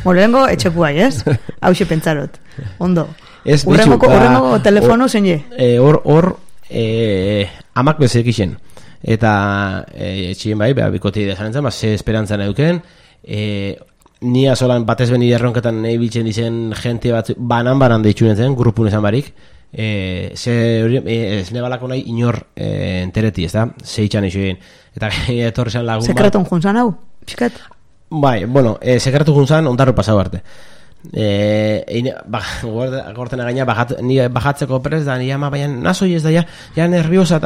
morengo etxekuai, ez? Hauxe pentsarot, ondo. Urrengo telefono zein je? Hor, amak bezek isen. Eta etxien bikote idea zanetzen, ze esperantzan euken, nia solan batez beni erronketan nahi biltzen dizen jente bat banan deitxunen zen, grupun esan barik, ez nebalako nahi inor entereti, ez da? Zeitxan eixo egin. Eta etorri zen lagun bat. Sekreton juntzan hau? Piskat? Sekretu juntzan ondarru pasau arte. Gortena gaina bajatzeko prez da, ni ama baina nazoi ez da, ja nerviosa,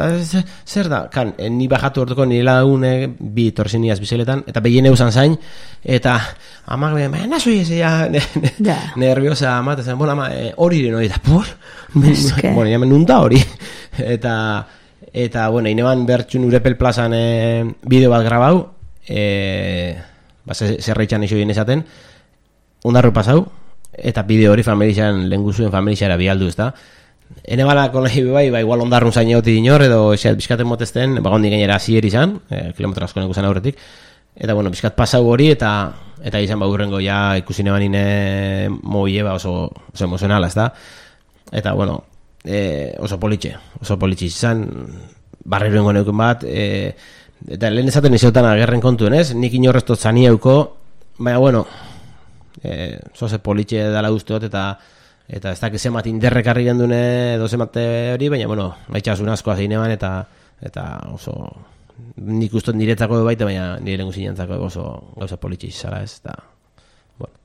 zer da? Ni bajatu orduko nire lagune bi torzen niaz bizeletan, eta behien eusan zain, eta ama baina nazoi ez da, nerviosa ama, eta zen, ama, hori ere noi, eta nunta hori. Eta ineban bertxun Urepel plazan bideo bat grabau, zerreitzan iso egin esaten, ondarru pasau, eta bideo hori familixan, lehenguzuen familixara bialdu, ez da. Hene balako nahi igual ondarrun zain egoti dinor, edo eseat bizkaten motesten, gondi gainera zier izan, kilometro asko nekuzan aurretik, eta bizkat pasau hori, eta izan urrengo ja ikusi neban ine moie, oso emozionala, ez da. Eta oso politxe izan, barriruengo neuken bat, eta lehen ezaten izotan agerren kontuen, ez? Nik inorreztot zanieuko, baina, zoze politxe dala guztiot, eta ez dakiz emat inderrekarri gendune dozemate hori, baina, baitxasun askoa zein eban, eta oso nik ustot niretzako baita, baina nire lengu zinantzako oso gauza politxe izala, ez? Eta,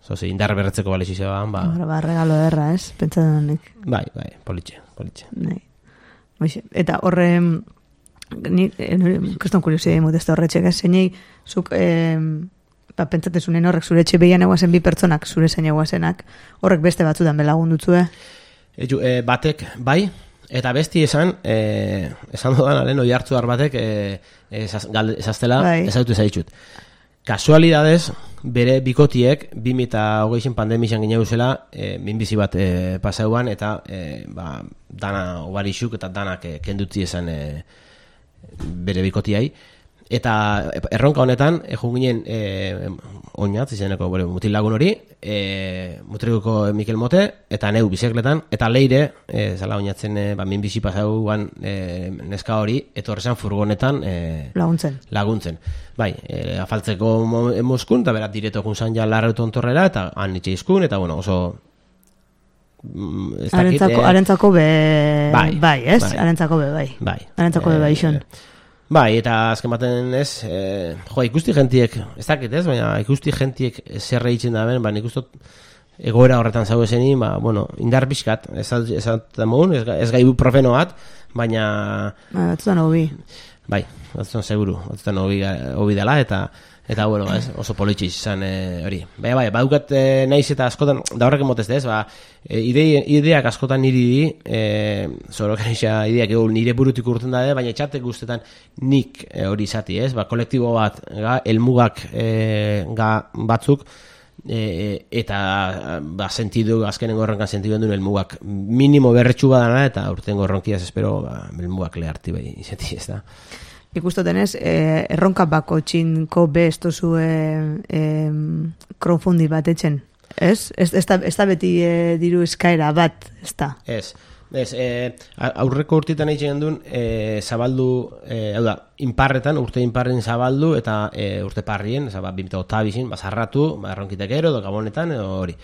zoze indarre berretzeko bale zizean, regalo erra, ez? Pentsatzen nik. Bai, politxe. Eta horre, kriston kuriosidea imutezta horretxek, ez? Zeinei, zuk... pentsatezunen horrek zure etxe behian eguazen bi pertsonak zure zein eguazenak, horrek beste batzutan belagun dutzue? Batek, bai, eta besti esan dudan alen oi hartzuar batek esaztela ezautu ezaitxut. Kasualidadez, bere bikotiek 2020 pandemizan gine eusela minbizi bat pasauan, eta dana obarixuk eta danak kendutzi esan bere bikotiai. Eta erronka honetan, egun ginen oinatz, izeneko mutil lagun hori, mutrikuko Mikel Mote, eta neu bizekletan, eta leire, zala oinatzen minbizi pasauan neska hori, etorrezan furgonetan laguntzen. Bai, afaltzeko moskun, eta berat direto junzan ja larrautu ontorrera, eta han itxe izkun, eta oso... Arentzako be... Bai, ez? Arentzako be, bai. Arentzako be, bai, xon. Bai, eta azken baten ez, ikusti gentiek, ez dakit ez, baina ikusti gentiek zer egiten da ben, nik ustot egoera horretan zau esenin, indar pixkat, ez gai profeno bat, baina... Batzutan hobi. Bai, batzutan seguru, batzutan hobi dela, eta bueno, oso politxiz izan hori. Bai, badukat naiz eta askotan, da horrek emotezte ez, ideak askotan niri zorok ideak nire burutik urten da, baina etxatek guztetan nik hori izati ez, kolektibo bat, elmugak batzuk, eta sentidu, azkenengo horrenkan sentidu duen elmugak minimo berretxu badana, eta urtengo horronkiaz espero elmugak leharti bai izati ez da. Ikustotenez, erronka bako txinko bestozu crowdfunding bat etxen, ez? Ez da beti diru eskaera bat, ez da? Ez, aurreko urtetan egiten duen zabaldu, urte inparren zabaldu eta urte parrien, 2008 bazarratu, erronkitek edo gabonetan, hori.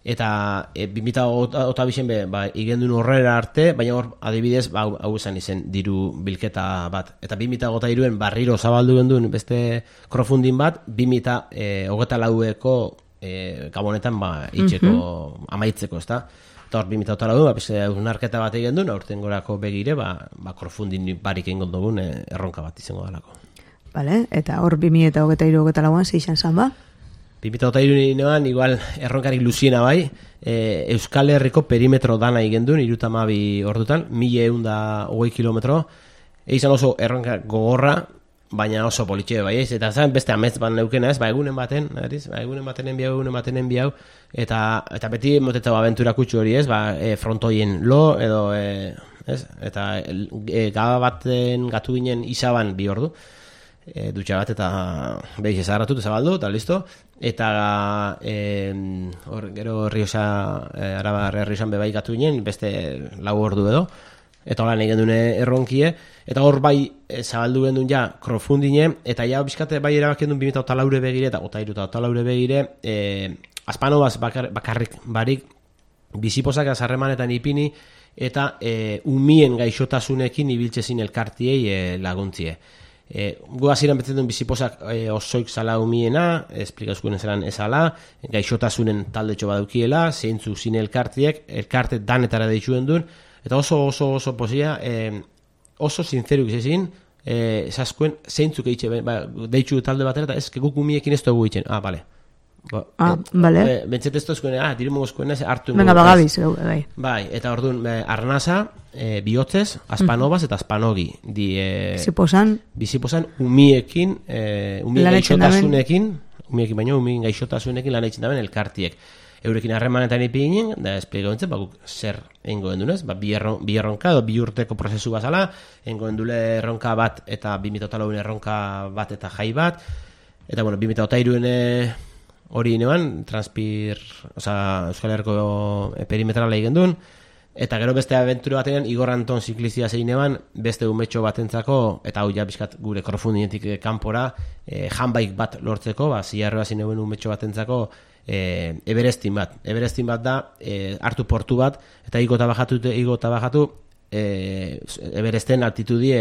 Eta 2008 igendun horrera arte, baina hor adibidez hau esan izen diru bilketa bat. Eta 2008an barriro zabaldu gendun beste crowdfunding bat, 2008ko gabonetan itxeko amaitzeko, ezta? Eta hor 2008an unarketa bat egin duen, aurten gorako begire, crowdfunding barik egin dugun erronka bat izango dalako. Vale, eta hor 2008an zeixan zan ba? 2008an igual erronkarik luziena bai, Euskal Herriko perimetro dana igendun, 32 ordutan, 1120 kilometro, izan oso erronka gogorra, baina oso politxe bai, eta zan beste amets bat neukena ez, egunen baten enbiau, eta beti moteta abentura kutsu hori ez, frontoien lo, edo, eta gaba baten gatu ginen izaban 2 ordu, dutxa bat eta behiz ezagratu eta zabaldu eta listo, eta gero Arabar Errioxan bebai gatu ginen beste 4 ordu edo, eta holan egin dune erronkie, eta hor bai zabaldu gendun ja crowdfunding, eta ja bizkate bai erabak gendun 2008 begire eta 2008 begire azpanobaz bakarrik barik biziposak azarremanetan ipini eta umien gaixotasunekin ibiltzezin elkartiei laguntzie. Gu hasieran betzen duen biziposak osoik zala umiena, esplikazkuen zelan ezala, gaixotasunen taldetxo badaukiela, zeintzu zine elkarte danetara deitxuen duen, eta oso posia, oso sinceruk izazin, esaskuen zeintzuk eitxe, deitxu talde batera, eta ez, guk umiekin ez dugu itxen, bale. Vale. Bentzet ez tozkuen, dirimogozkuen ez, hartu venga, bagabiz, bai. Bai, eta orduan, arnasa, bihotzez, azpanobaz eta azpanogi. Biziposan, umiekin, umien gaixotasunekin, umiekin baino, umien gaixotasunekin lan eitzen daben elkartiek. Eurekin harremanetan ipi ginen, da espliego entzen, zer egingo gendunez, bi erronka, bi urteko prozesu bazala, egingo gendule erronka bat eta 2008 erronka bat eta jai bat, eta bueno, 2008 hori neban, Euskal Herriko perimetrala egin duen, eta gero beste abentura batean, Igor Anton ziklizia zein neban, beste umetxo batentzako, eta hau ja bizkat gure crowdfundingetik kanpora, handbike bat lortzeko, zilarroa zein neuen umetxo batentzako, Everestin bat da, hartu portu bat, eta igo eta bajatu, Everesten altitudi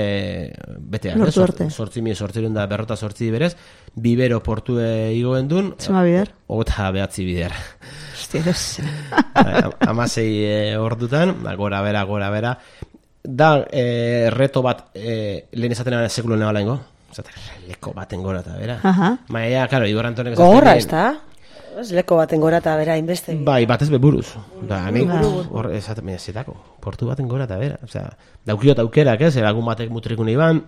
betean, 8.000 da 48 berez, bibero portu igoen dun, zema bider? 29 bider. Hostieres. 16 ordutan, gora bera. Da, reto bat, lehen esaten sekulo neba lehengo, leko baten gora eta bera. Maia, karo, Igor Antonek gogorra, ez da? Leko baten gora eta bera inbeste. Bai, batez beburuz. Da, hor esaten zetako, portu baten gora eta bera. Osea, daukiot aukerak, lagun batek mutrikun iban,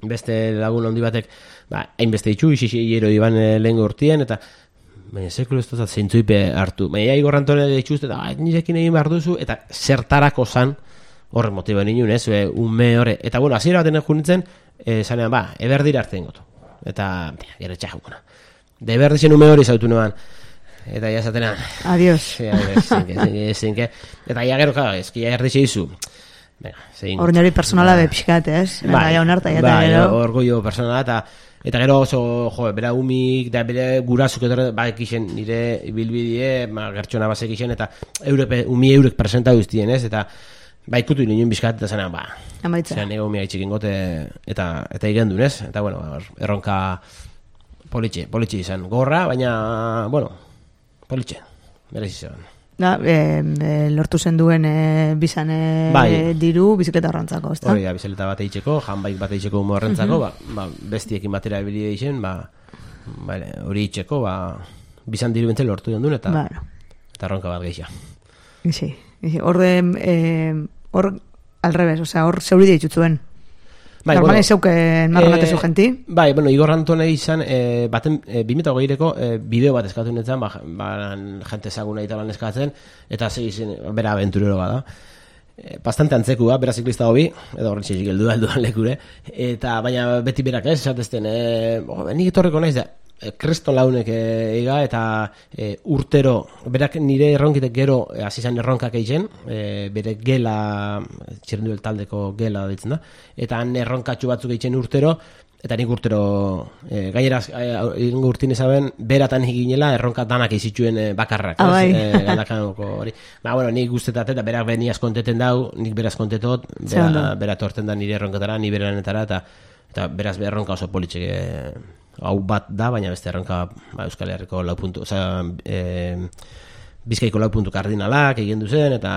beste lagun handi batek, hainbeste itxu, ixero iban lehen urtien, eta baina sekulo ez dozat zeintzuipe hartu. Baina Igor Antone ditxuzte, eta nirekin egin behar duzu, eta zertarako zan, horrek motiba ninun, unme horre. Eta bueno, hasiera baten junitzen, zanean, eberdira hartzen gotu. Eta, gero txajukuna. Da eberdixen ume hori zautu nuan. Eta ja zatena. Adiós. Zinke. Eta ja gero, eski ja erdixe izu. Orneri personala bepixkat, ez? Bai, orgullo personala, eta gero oso, bera umik, da bere gurazuk edo, ekixen nire bilbidie, gertxona basek ixen, eta umi eurek presenta guztien, ez? Eta Ba, ikutu ninen bizkat, eta zenean, amaitza. Zenean ego mia itxikin gote, eta igendun, ez? Eta, bueno, erronka politxe izan. Gorra, baina, bueno, politxe, berez izan. Lortu zen duen bizan diru bizikleta horrentzako, ezta? Hori da, bizikleta bat eitzeko, janbaik bat eitzeko humo horrentzako, bestiekin batera ebili eixen, hori itxeko, bizan diru bentzen lortu duen, eta erronka bat geixia. Sí. Hor al revés, o sea, hor zeuri deitzuen. Normale zeuken marranatezu genti. Bai, bueno, Igor Antone izan, baten 2008ko bideo bat eskatu netzen, jente ezaguna eta lan eskatzen, eta zeizen, bera aventurero bada. Bastante antzekua, bera ziklista hobi, edo horren txezik helduan lekure, eta baina beti berak ez, esatezten, nik etorreko naiz da, Kriston launek ega eta urtero, berak nire erronkitek gero hasi izan erronkak egiten, bere gela, txerrenduel taldeko gela ditzen da, eta han erronkatxu batzuk egiten urtero, eta nik urtero, gainera ingo urtin ezaben, beratan eginela erronka danak izituen bakarrak, galdakanoko hori. Bueno, nik guztetat eta berak beni askonteten dau, nik beraz kontetot, berat horten da nire erronkatara, ni beranetara, eta beraz erronka oso politxek hau bat da, baina beste erronka Euskal Herriko 4 puntu, Bizkaiko 4 puntu kardinalak egin duzen, eta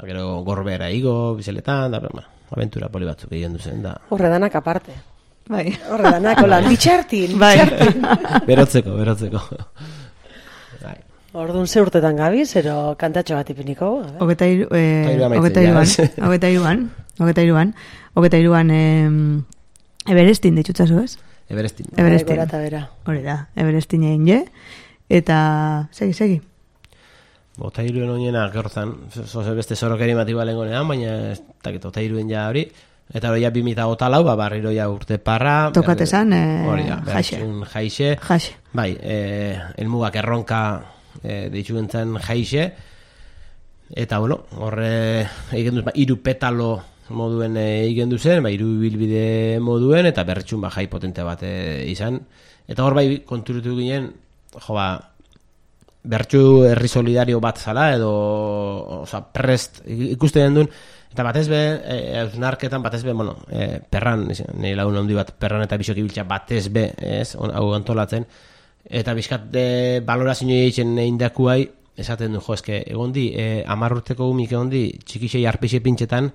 gero Gorbera igo, bizeletan, da, aventura poli batzuk egin duzen, da. Horre danak aparte. Bai. Horre danak, holan, bitxartin. Berotzeko. Orduan ze urtetan gabiz, ero kantatxo bat ipiniko? 23an, Everestin ditutzazu, ez? Everestin. Hori da, Everestin egin je. Eta, segi. Otairuen oinena, gertzan, beste zorokeri mati balengonean, baina ez dakit, Otairuen ja hori. Eta hori ja 2008 barriro ja urte parra. Tokatezan, jaixe. Bai, elmugak erronka ditxuentzen jaixe. Eta, bueno, horre egin duz, 3 petalo moduen egin duzen, 3 bilbide moduen, eta berretxun jai potente bat izan. Eta hor bai konturutu ginen, bertxu herri solidario bat zala, edo prest ikusten duen, eta batez be, eusnarketan batez be, perran, nire lagun handi bat, perran eta bisok ibiltza batez be, hau antolatzen, eta bizkat balorazio egiten indakuai, esaten du, eske, egondi, 10 urteko umik egondi, txikixei arpixe pintxetan,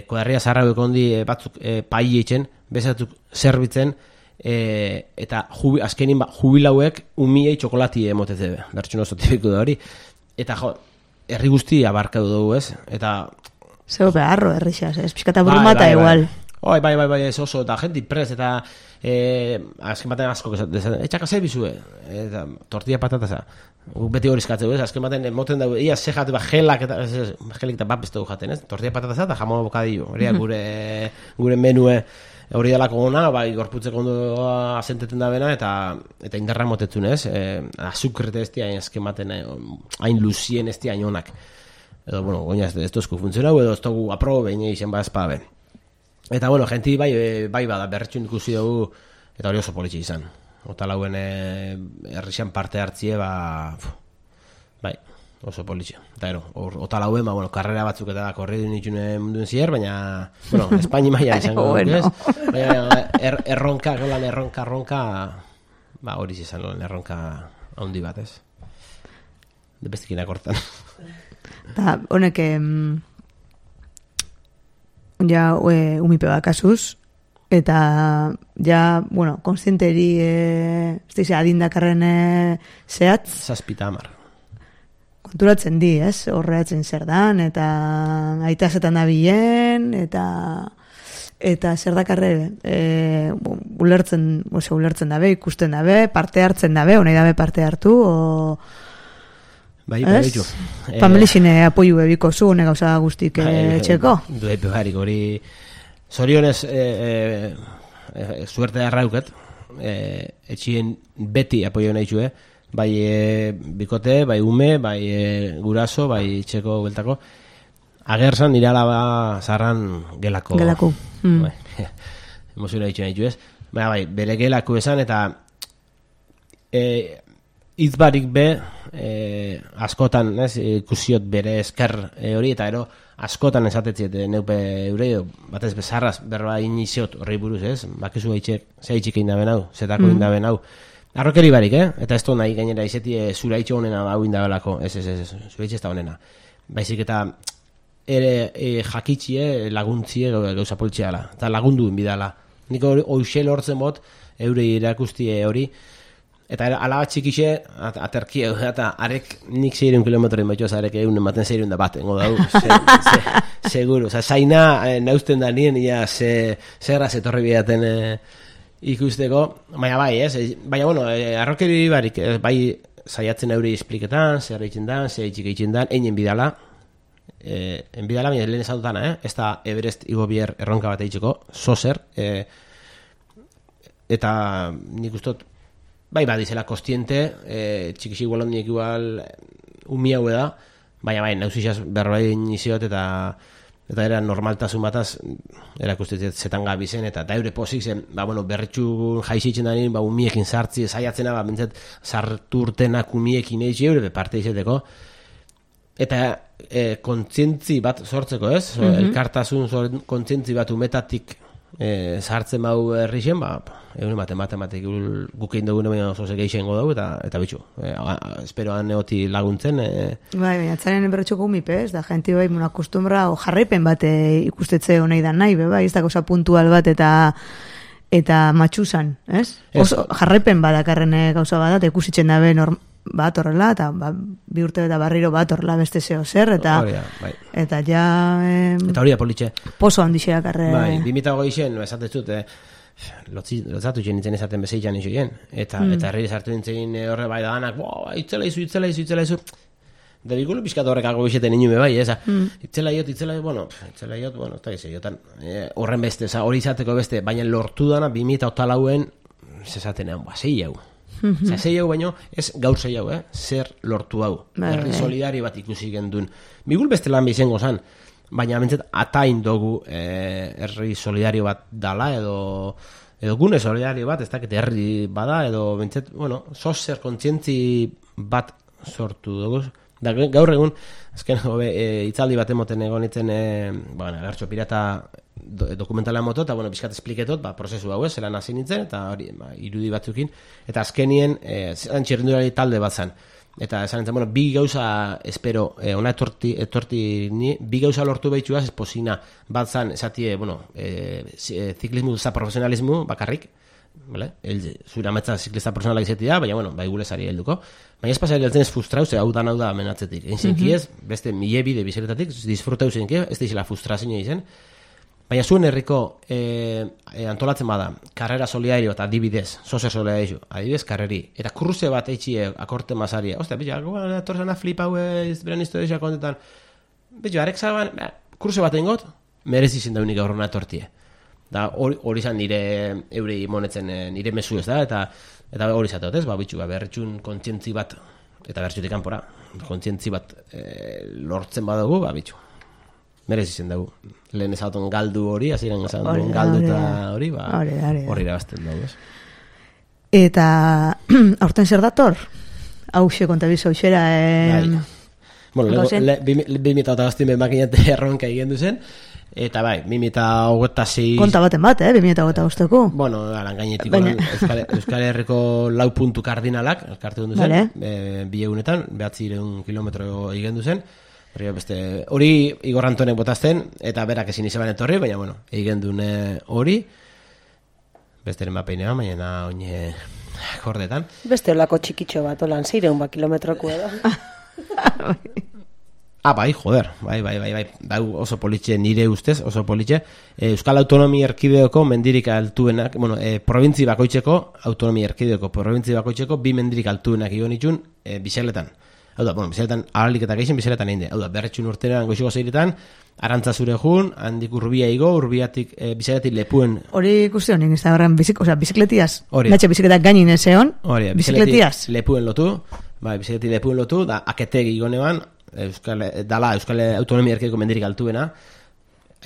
kodarria zarrauek ondi batzuk pai eitzen, bezatzuk zerbitzen, eta azkenin jubilauek umiei txokolati emoteze, bertxun oso tipiko da hori, eta herri guzti abarkatu dugu, ez? Eta zeu beharro herrixaz, ez? Piskata burumata igual. Bai, ez oso, eta jenti prez, eta azken baten asko, etxaka zer bizue, eta tortilla patataza, beti hori eskatzeu, ez? Azken baten moten dago, ia ze jate, gelak eta bat beste du jaten, ez? Tortilla patataza eta jamon bokadillo, hori gure menue hori dalako gona, gorputzeko ondo asenteten da bena, eta indarra motetzun, ez? Azukrete ez dira, azken baten hain luzien ez dira onak. Edo, bueno, goina ez dozku funtzionau, edo ez dugu aprobe, izen ba ezpabe. Eta, bueno, genti bai bada, berretxun ikusi dugu, eta hori oso politxe izan. Ota lauen herrixan parte hartzie, bai, oso politxe. Eta ota lauen, karrera batzuk eta korri duen itxune munduen zier, baina, Espaini maia izango dugu, ez? Baina, erronka, hori izan loen, erronka handi bat, ez? Bestekin akortan. Eta, honek, ja umipe bat kasuz, eta ja, konstienteri adindakarren zehatz. 7 hamar. Konturatzen di, ez? Horreatzen zer dan, eta aitazetan da bilen, eta zer dakarre ulertzen dabe, ikusten dabe, parte hartzen dabe, honei dabe parte hartu, bai, baitu. Familixine apoiu ebiko zu, gauza guztik txeko. Duepe barik, hori zorionez suerte darrauket, etxien beti apoio nahi txue, bai bikote, bai ume, bai guraso, bai txeko beltako. Agerzan nire alaba zarran gelako. Emozio nahi txue nahi txuez. Bai, bere gelako esan, eta izbarik be, askotan, ikusiot bere esker hori, eta askotan esatetziet neupe eure, batez bezarraz berba iniziot horri buruz, ez? Bakizu zehaitxik indaben hau, zetako indaben hau. Arrokeri barik, eta ez nahi gainera izetie zura itxo honena hau indabelako, ez, zura itxe ez da honena. Baizik eta ere jakitxie, laguntzie gauza politxeala, eta lagundu inbidala. Nik hoxel hortzen bot, eure irakustie hori, eta alaba txikixe, aterkie, eta arek nik 600 kilometroin baituz, arek egun ematen 600 bat, engo dau, seguro. Osa, zaina nausten da nien, ia zerra zetorri bidaten ikusteko, baina bai, ez? Baina, bueno, arrokeri barik, bai, zaiatzen euri espliketan, zer eitzen dan, zer eitxik eitzen dan, einen bidala, baina lehen esatutana, ez da Everest igobier erronka bat eitzeko, zozer, eta nik ustot, bai, badizela kostiente, txikisi igualondiek igual umi hau da, baina bai, nauzizaz berroa iniziot eta era normaltasun bataz erakustetzet zetan gabizen, eta eure pozik zen, bueno, berritxu jaizitzen da nien, umiekin sartzi, zaiatzena, bintzat, sartu urtenak umiekin eizi eure, parte izeteko, eta kontzientzi bat sortzeko, ez? Elkartasun kontzientzi bat umetatik sartzen bau herrixen, egun matematik gukein dugun baina oso segeixengo dugu, eta bitxu, esperoan eoti laguntzen. Bai, baina atzaren berretxoko umipe, ez da, jenti bai, akostumbra, jarraipen bat ikustetze honei da nahi, bai, ez da cosa puntual bat eta matxusan, ez? Oso jarraipen badakarren gauza bat, eta ikusitzen dabe bat horrela, eta bi urte eta barriro bat horrela beste zeo zer, eta ja... Eta hori da politxe. Pozo handixeak arre... Bai, 2008 esatetut, lotzatu nintzen esaten bezeitan izoien, eta herri sartu nintzen horre bai da danak, itzela izu, da bikulo pizkat horrekako bizeten inume bai, eza, itzela iot, eta gizeiotan, horren beste, hori izateko beste, baina lortu dana 2008an, zezatenean, zei hau. Zei hau baino, ez gaur zei hau, zer lortu hau. Herri solidario bat ikusi gendun. Bigul beste lan bizengo zan, baina bintzat atain dugu herri solidario bat dala, edo gune solidario bat, ez dakit herri bada, edo bintzat, bueno, zozer kontzientzi bat sortu dugu. Da, gaur egun, azken itzaldi bat emoten egon itzen, Agertxo Pirata dokumentala moto, eta bizkat espliketot, prozesu hau ez, zelan hasi nintzen, eta hori, irudi batzukin, eta azkenien, txirrindulari talde bat zan. Eta esan nintzen, bi gauza espero, ona etorti ni, bi gauza lortu behitxuaz, esposina bat zan, esatie, ziklismu za profesionalismu bakarrik, zure ametza ziklista profesionalak izatea, baina, bai gulezari helduko, baina ez pasari heltzen ez frustrau, ze hau da menatzetik. Einzenki ez, beste mile bide bizeretatik, disfrutau zenki, ez da izela frustrazioa izen, baina zuen herriko antolatzen bada, karrera solidario eta adibidez, zozer solidario, adibidez karreri, eta kruze bat eitxie akorte masaria, ostia, atorzana flipau beren historia kontetan, arek zaban, kruze bat engot, merezi zen daunik aurrona etortie. Da hori izan nire eurei monetzen nire mesu ez da, eta hori izateot ez, berritxun kontzientzi bat, eta berritxutik kanpora, kontzientzi bat lortzen badugu, bitxu. Merezi zen dugu. Lehen ezaton galdu hori, aziren ezaton galdu eta hori, hori irabazten dugu, ez? Eta aurten zer dator? Hauxe, kontabizo, hauxera... Bueno, 2008 makinate erronka egin duzen, eta bai, 2026... Konta baten bat, 2008ko? Bueno, gainetik Euskal Herriko 4 puntu kardinalak, elkarte duzen, bi egunetan, 900 kilometro egin duzen, hori Igor Antonek botazten, eta berak ezin izaban etorri, baina, egin dune hori, besteren bapeinea, baina oine jordetan. Beste olako txikitxo bat, olan 600 kilometroko edo. Bai, joder, bai, oso politxe, nire ustez, oso politxe. Euskal Autonomia Erkideoko mendirik altuenak, probintzi bakoitzeko, Autonomia Erkideoko probintzi bakoitzeko, bi mendirik altuenak egon itxun, bizeletan. Hau da, bizeletan, aralik eta geixen, bizeletan egin de. Hau da, berretxun urtean goiziko zeiretan, Arantza zure jun, handik urbia igo, urbiatik, bizeletik lepuen... Hori ikusi honik, ez da horren, bizikletiaz. Natxe bizikletak gainin ezeon, bizikletiaz. Lepuen lotu, bizikletik lepuen lotu, da, aketegi igonean, Euskal Autonomia Erkideko mendirik altuena,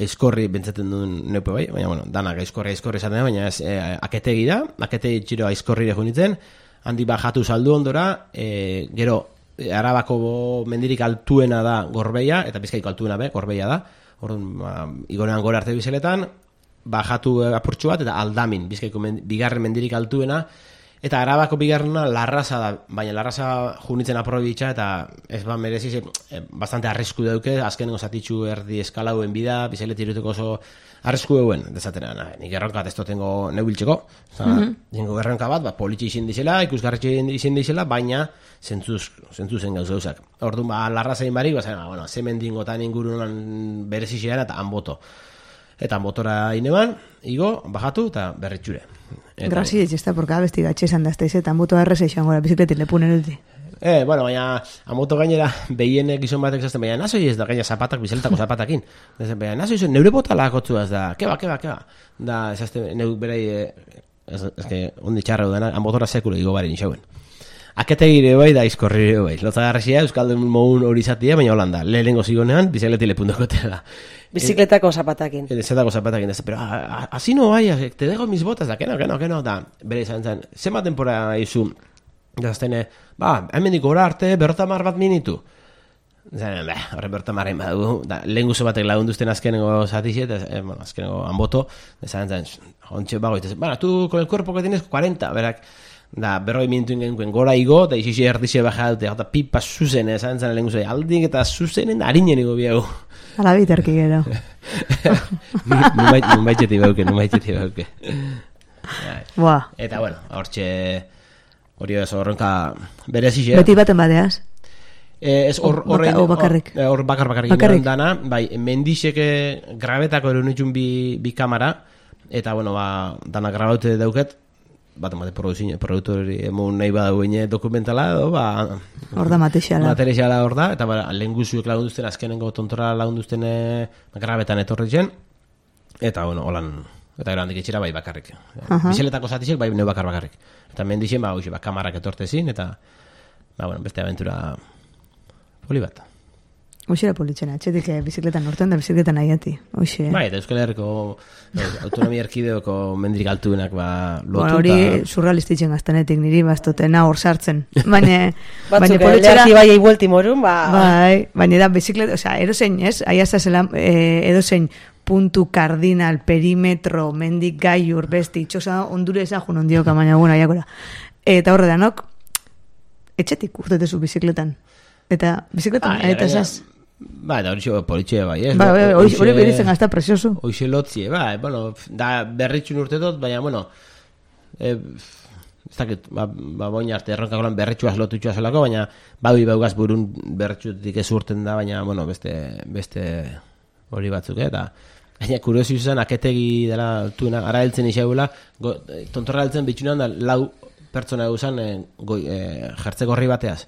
aizkorri bentsaten duen neupe bai, baina, danak aizkorri esaten da, baina aketegi da, aketegi txiro aizkorri deko nintzen, handi bajatu saldu ondora, gero Arabako mendirik altuena da Gorbeia, eta Bizkaiko altuena Gorbeia da. Orduan, igonean gora arte bizeletan, bajatu apurtxo bat, eta Aldamin, Bizkaiko bigarren mendirik altuena, eta Arabako bigarrena Larraza da, baina Larraza junitzen aprobitxa, eta ez mereziz, bastante arrisku dauke, azkenengo zatitxu erdi eskalauen bida, bizelet iruteko oso arrisku euen, dezaten, nik erronka bat ez dotengo neubiltzeko, dingo erronka bat, politxe izin dizela, ikusgarretxe izin dizela, baina zentzuzen gauzak. Orduan, Larrazain barik, bueno, zemendingotan ingurunan berezixean, eta anboto. Eta motora ineban, igo, bajatu eta berritxure. Grazi etxesta, porque abesti gatxe esan dazte izetan, moto erreza izan gora, bizikletin lepunen ulti. Bueno, baina, amoto gainera, behienek gizon batek zazten, baina nazoi ez da gaina zapatak, bizeletako zapatakin. Baina nazoi izan, neure bota lakotzuaz da, keba. Da, ezazte, neuk berei, ez que, ondi txarra dudana, amotora sekule igo bari nixauen. Aketegire bai da izkorrire bai. Lotzagarrizia, Euskaldun mogun hori zatia, baina holanda. Lehenengo zigonean, bizikleti lepundoko tela. Bizikletako zapatakin. Bizikletako zapatakin. Pero, así no vaya, te dejo mis botas, da, que no. Da, bere izan zen, zema tempora izu, daztene, hemendik gora arte, berrotamar bat minitu. Zaten, horre berrotamarren badu, lehen guzo batek lagunduzten azkenengo zatixet, azkenengo anboto, zaten, ontxe bagoitez, tu con el cuerpo que tienes 40, berak, da, berroi minutu ingenuen gora igo, da izixi erdixe baja dute, eta pipa zuzen, esan zen lehen guzai, aldik eta zuzenen harinen igo biago. Ala biterki gero. Numaitxeti bauke. Buah. Eta, bueno, hori ez horrenka berezixe. Beti baten badeaz? Ez horrein... O bakarrik? Hor bakarrik dana, bai, mendixeke grabetako erunitxun bi kamara, eta, bueno, dana grabaute dauket, bat produktori emun nahi badau dokumentala edo, hor da materiala hor da, eta lehen guzuek lagunduzten, azkenengo tontora lagunduzten grabetan etorri zen, eta, bueno, holan, eta gero handik etxera bai bakarrik. Bizeletako zatizek bai neu bakarrik. Eta mendixen, kamarak etortezin, eta, bueno, beste aventura poli bat. Hoxera politxena, txetik bizikletan norten da bizikletan nahiati. Bai, eta Euskal Herriko autonomia erkideoko mendirik altuenak lotu. Bueno, hori surrealistitzen gaztanetik niri bastotena hor sartzen. Baina politxera... Batzuk bai eibuelti morun, baina da bizikleta, edozein, ez? Aiazazela, edozein puntu kardinal, perimetro, mendik gaiur, besti, itxosa ondure ezagun ondioka, baina guna, jakora. Eta horre danok, etxetik urtetezu bizikletan. Eta bizikletan, eta esaz... Eta hori politxe bai, ez? Hori beritzen gazta presiosu. Hoxe lotzie, bueno, da berritxun urtetot, baina, bueno, ez dakit, boin arte erronkakolan berritxuaz lotutxua zelako, baina baugaz burun berritxutik ez urten da, baina, bueno, beste hori batzuk, eta gaina kuriosi izan, aketegi dela altuena, ara heltzen isaugula, tontorra heltzen bitxunean da lau pertsona eguzan jertze gorri bateaz.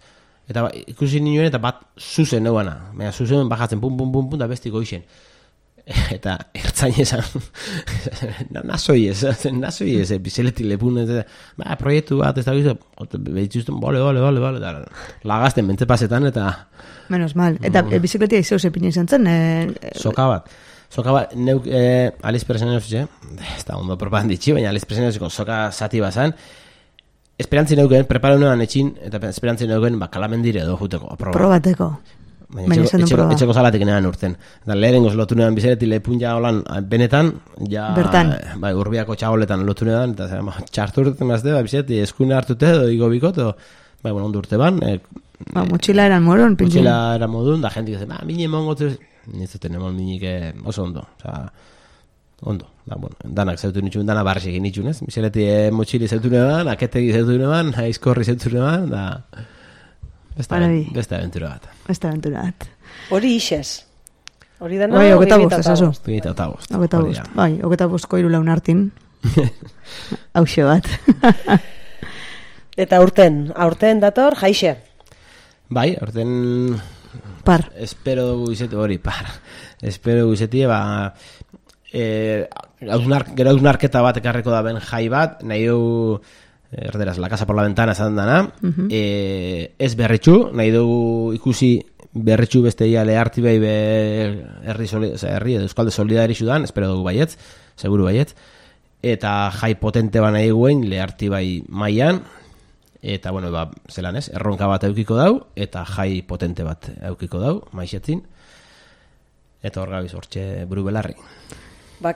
Eta ikusi nioen eta bat zuzen neuana. Baina zuzen bajatzen, pum, da besti goixen. Eta ertzain esan, nazoi ez, bizeleti lepun, proiektu bat, ez da gizu, behitzuzten, bole, lagazten, bentze pasetan, eta... Menos mal. Eta bizikletia izau zepin izan zen? Soka bat, neuk Aliz Presenioz, ez da ondo propaganditxi, baina Aliz Presenioziko soka zati bazan, esperantzien euken, preparo nuean etxin, eta esperantzien euken kalamendire edo juteko. Probateko. Etxeko salatik nean urten. Lehenengoz lotu nean bizereti lepun ja holan benetan, ja... Bertan. Urbiako txagoletan lotu nean, eta txartu urten mazte, bizereti eskune hartute edo igo bikot, edo ondo urte ban. Motxila eran moron, pintzin. Motxila eran modun, da jentik ez, mine mongotu, nizuten emon minik oso ondo. Ondo, danak zautu nitxun, dana barrexek nitxun, ez? Bizeleti motxili zautu neban, aketegi zautu neban, aizkorri zautu neban, da... Beste aventura bat. Hori isez. Hori dana... Bai, 25, 25. Bai, 25ko irulaun hartin. Hauxe bat. Eta aurten dator, jaixe. Bai, aurten... Par. Espero dugu izeti, hori, par. Espero dugu izeti, gero hausnarketa bat ekarreko da ben jai bat, nahi du erderaz, la casa por la ventana esan dana, ez berritxu, nahi dugu ikusi berritxu beste ia leharti bai herri edo euskalde solidari zudan, espero dugu baietz, seguru baietz, eta jai potente ba nahi guen leharti bai maian, eta, bueno, zelan ez, erronka bat eukiko dau, eta jai potente bat eukiko dau, maixetzin, eta hor gabiz hortxe buru belarri.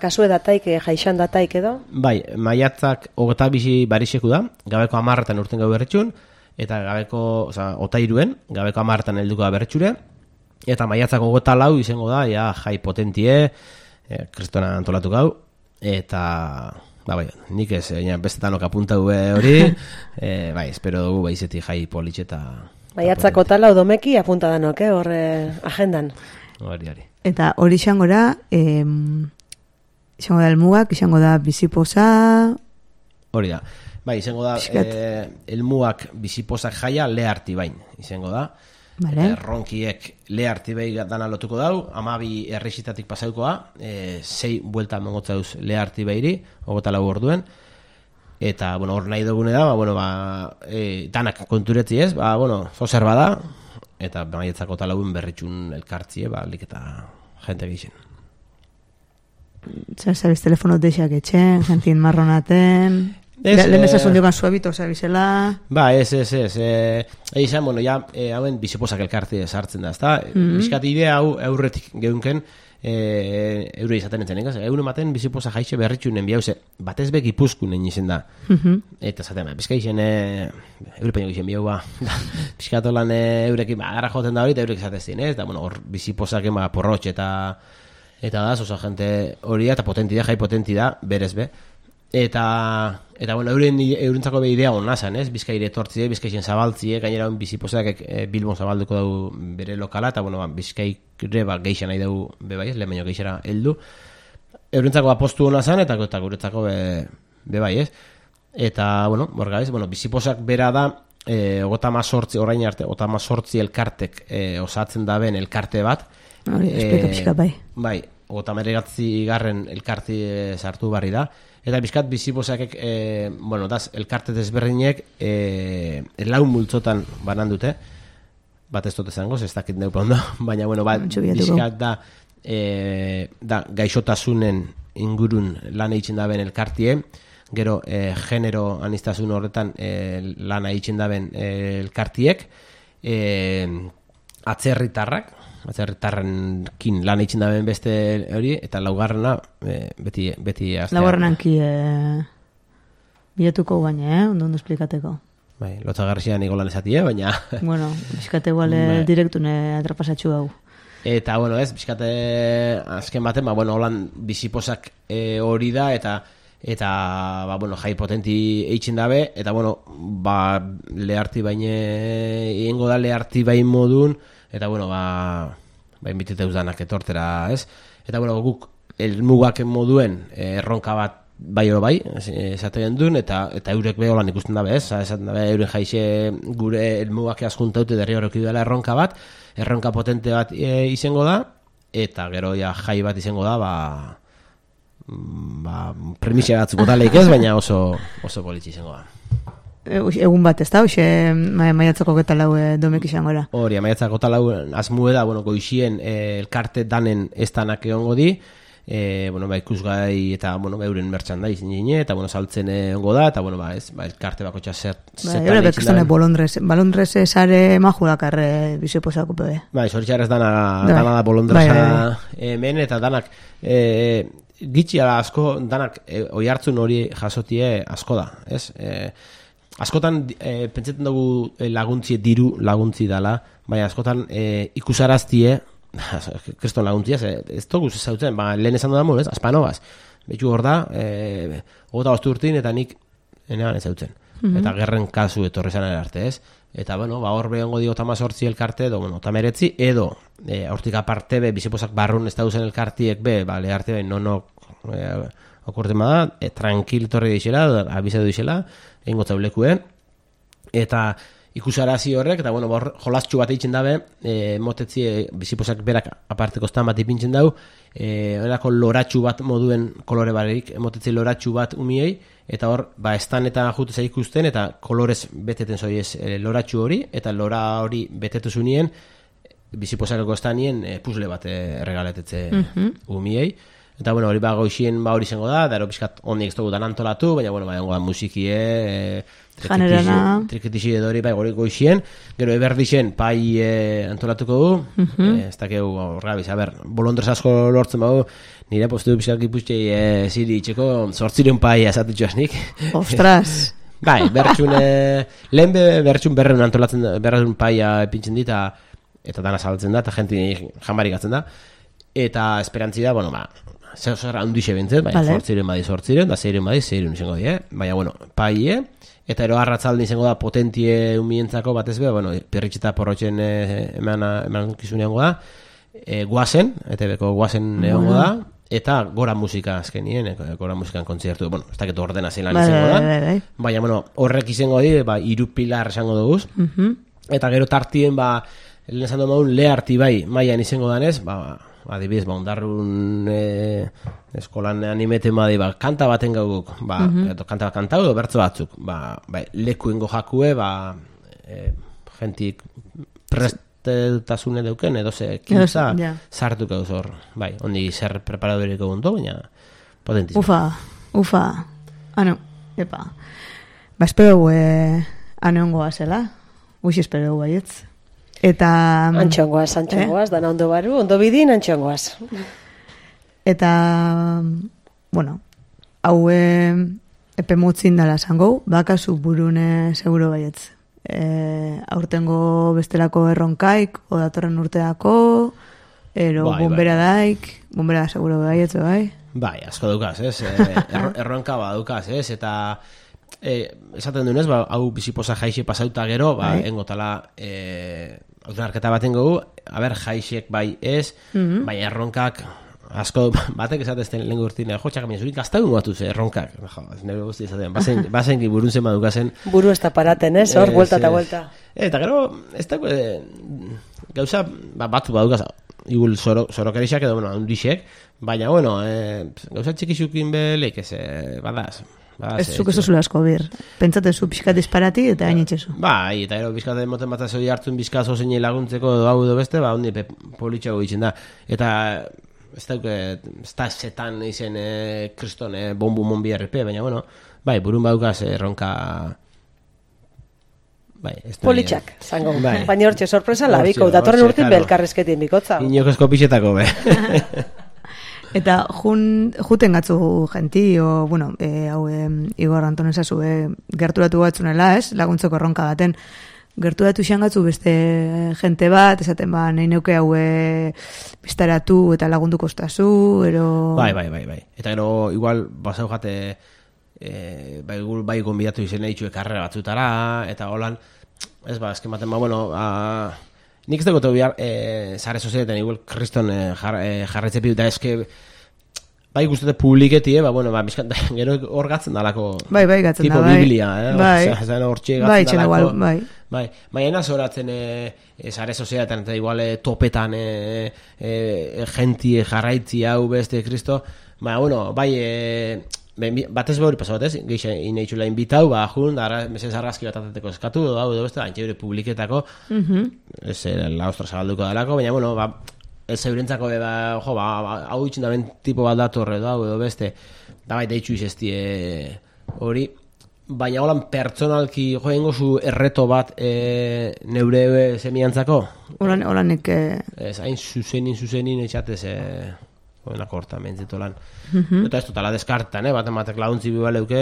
Kasue dataik, jaixan dataik edo? Bai, maiatzak 25 bariseku da, gabeko 10etan urten gau berretxun, eta gabeko, otairuen, gabeko 10etan helduko da berretxure, eta maiatzak 24 izango da, jai potentie, kristona antolatu gau, eta, bai, nik ez, bestetanok apuntau hori, bai, espero dugu baizeti jai politxe eta... Maiatzak 24 domeki apuntadanok, horre agendan. Hori. Eta hori xangora, izango da elmugak, izango da bizipoza... Hori da. Bai, izango da elmugak biziposak jaia leharti bain. Izango da. Vale. Ronkiek leharti bai dana lotuko dau. 12 errexitatik pasaukoa. 6 buelta mongotzauz leharti bairi. 24 orduen. Eta, hor nahi dugune da, danak konturetzi ez. Zozer bada. Eta maietzako talagun berritxun elkartzie, lik eta jente gixen. Sabes, telefono deixak etxen, jentin marronaten... Lehen esasun diokan suabito, sabizela... Ez. Eizan, hauen biziposak elkartzie sartzen da, ezta? Bizkat idea hau eurretik geunken, eure izaten entzen, egaz? Eure maten biziposa jaixe berritxunen biauze, batez bek ipuzkunen izen da. Eta zaten, bizka izen, eure peño gixen biau, bizkatolan eurekin, gara joten da hori, eta eurek izatezien, ez? Eta, hor biziposaken porrotx eta da, zoza jente hori da, eta potenti da, jai potenti da, berez be. Eta eurentzako be idea hona zan, ez? Bizkaire etortzie, bizkaixen zabaltzie, gainera biziposak Bilbon zabalduko dau bere lokala, eta bizkaire geixan nahi dau bebaiz, lehen baino geixera heldu. Eurentzako apostu hona zan, eta guretzako bebaiz. Eta, borgaiz, biziposak bera da, 38, orain arte, 38 elkartek osatzen da ben elkarte bat. Hori, esplika pixka bai. Bai, 39 garren elkarti sartu barri da. Eta bizkat bizipozakek, elkarte desberdinek lau multzotan banan dute. Bat ez dute zangoz, ez dakit neupa ondo. Baina, bizkat da gaixotasunen ingurun lan eitzen daben elkartie. Gero, genero anistazun horretan lan eitzen daben elkartiek. Atzerritarrenkin lan eitzen daben beste hori, eta laugarrena beti aztea. Laugarrenanki bilatuko baina, ondo esplikateko. Bai, lotzagarrizia niko lan esatie, baina... Bizkate iguale direktune atrapasatxu hau. Eta, bizkate azken baten, holan biziposak hori da, eta jai potenti eitzen dabe, eta, leharti baine, egingo da leharti bain modun, eta, inbiteteuz danak etortera, ez? Eta, guk elmugak moduen erronka bat bai oro bai, esaten duen, eta eurek beholan ikusten dabe, ez? Esaten dabe, euren jaixe gure elmugak askuntaute derri horreki dela erronka potente bat izango da, eta gero jai bat izango da, premisia batzuko taleik ez, baina oso politxe izango da. Egun bat ez da, maiatzako getalau domek izango da? Hori, maiatzako getalau azmue da, goizien elkarte danen estanak egongo di, ikusgai eta euren merchandise nire, eta saltzen ongo da, eta elkarte bako txasetan Eure bekestane bolondrez sare majurakar biziposako pebe. Zoritxarrez dana da bolondreza hemen, eta danak gitxiara asko, danak oi hartzun hori jasotie asko da, ez? Askotan pentsetan dugu laguntzie diru laguntzi dala, baina askotan ikusaraztie kriston laguntzia, ez dugu zautzen, lehen esan dudan ez, aspanogaz, betxu hor da, 25 urtin, eta nik enean ez zautzen. Eta gerren kasu etorri zan arte, ez? Eta, hor behongo di 18 elkarte, edo, 19, edo, hortik aparte be, biziposak barrun ez dauzen elkartiek be, leharte be, okurten bada, tranquil torri deixela, abizatu deixela, egingo zaulekuen, eta ikusarazi horrek, eta jolastxu bat eitzen dabe, motetzi biziposak berak aparteko estan bat ipintzen dau, horako loratxu bat moduen kolore barerik, motetzi loratxu bat umiei, eta hor, estan eta juteza ikusten, eta kolorez beteten zoiez loratxu hori, eta lora hori betetu zunien, biziposakeko estanien puzle bat erregaletetze umiei, Eta, bueno, hori goixien hori zengo da, ero pixkat ondik ez dugu dan antolatu, baina, bueno, dengo da musikie, trikitixi edo hori hori goixien, gero eberdixen pai antolatuko du, ez dakeu horregabiz, bolondrez asko lortzen bago, nire postu pixkat gipuztei ziri itxeko 800 pai azatutxoaz nik. Ostras! Bai, lehen bertxun berreun antolatzen da, berreun paia epintzen dit, eta dana zabaltzen da, eta jenti jamarik atzen da, eta esperantzi da, bueno, zer handixe bintzen, bai, 800 da 600 izango die, baina, bueno, paie, eta ero arratzalde izango da potentie umientzako batez be, bueno, perritxeta porrotxen eman kizuneango da, guazen, ETV-ko guazen egongo da, eta gora musika azkenien, gora musikan kontzertu, bueno, ez dakit ordena zelan izango da, baina, bueno, horrek izango di, 3 pilar esango duguz, eta gero tartien, lehen esan dugu leharti bai, maian izango danez, adibidez, ondarrun eskolan animeten badi, kanta baten gauguk, kanta bat kantau edo bertzo batzuk, leku ingo jakue, jentik prestetasune deuken, edo ze kintza sartuko duz hor, ondi zer preparadorik egun do, baina potentizio. Ufa, ano, epa. Espero aneongoa zela, uixi espero baietz. Eta... Antxongoaz, dana ondo baru, ondo bidin, antxongoaz. Eta, bueno, hau epe motzin dala zango, bakazu burune seguro baietz. Aurtengo bestelako erronkaik, o datorren urteako, ero bombera daik, bombera seguro baietz, bai? Bai, asko dukaz, ez? Erronka badukaz, ez? Eta... esaten dunez, hau biziposa jaixe pasauta gero, engotala autonarketa baten gogu, jaixek bai ez, bai erronkak asko batek esatezten lehen gurtin, txak, zurik gaztagun batuz erronkak, nire guzti izaten, bazen burun zen badukazen. Buru ez da paraten, ez, hor, vuelta eta vuelta. Eta gero, ez da, gauza batu badukaz, igul sorokerixak edo, handixek, baina, gauza txikixukin belik, ez, badaz. Ez zuk ez zula asko bir. Pentsate zu pixkat disparati eta hain itxezu. Bai, eta ero pixkat moten bat azoi hartzun bizkazo zein laguntzeko edo hau edo beste, ondi politxago ditzen da. Eta ez da zetan izen kriston bombu monbi RP, baina burun badukaz erronka... Politxak, zango. Baina hortxe sorpresa labiko, datorren urtin belkarrezketin bikotza. Inokezko pixetako, Eta juten gatzu jenti, hau Igor Anton esazu, gerturatu batzunela, ez, laguntzeko erronka baten, gerturatu xean gatzu beste jente bat, esaten nahi neuke hau biztaratu eta lagundu kostazu, ero... Bai. Eta gero, igual, basau jate, bai gonbidatu izen egitxue karrera batzutara, eta holan, ez esken baten, nik ez dago bihar zare sozialetan igual kriston jarretze pidu, eta eske bai guztate publiketi, gero hor gatzen dalako bai, gatzen tipo da, bai. Biblia, hortxe gatzen dalako. Bai. Baina zoratzen zare sozialetan, eta igual topetan genti jarraitzi hau beste kristo, batez behori pasatez, gehiago inaitxula inbitau, jun, mesez argazki bat atateko eskatu, edo beste, antxeure publiketako, ez la ostra zabalduko dalako, baina, ez eurentzako, hau itxin da ben tipo bat datorre, edo beste, da bai deitxu izesti hori, baina holan pertsonalki joengo zu erreto bat neure semiantzako? Holanik... Ez, hain zuzenin etxatez... Oenako horta, mentzito lan. Eta ez totala deskartan, bat launtzi bibaleuke...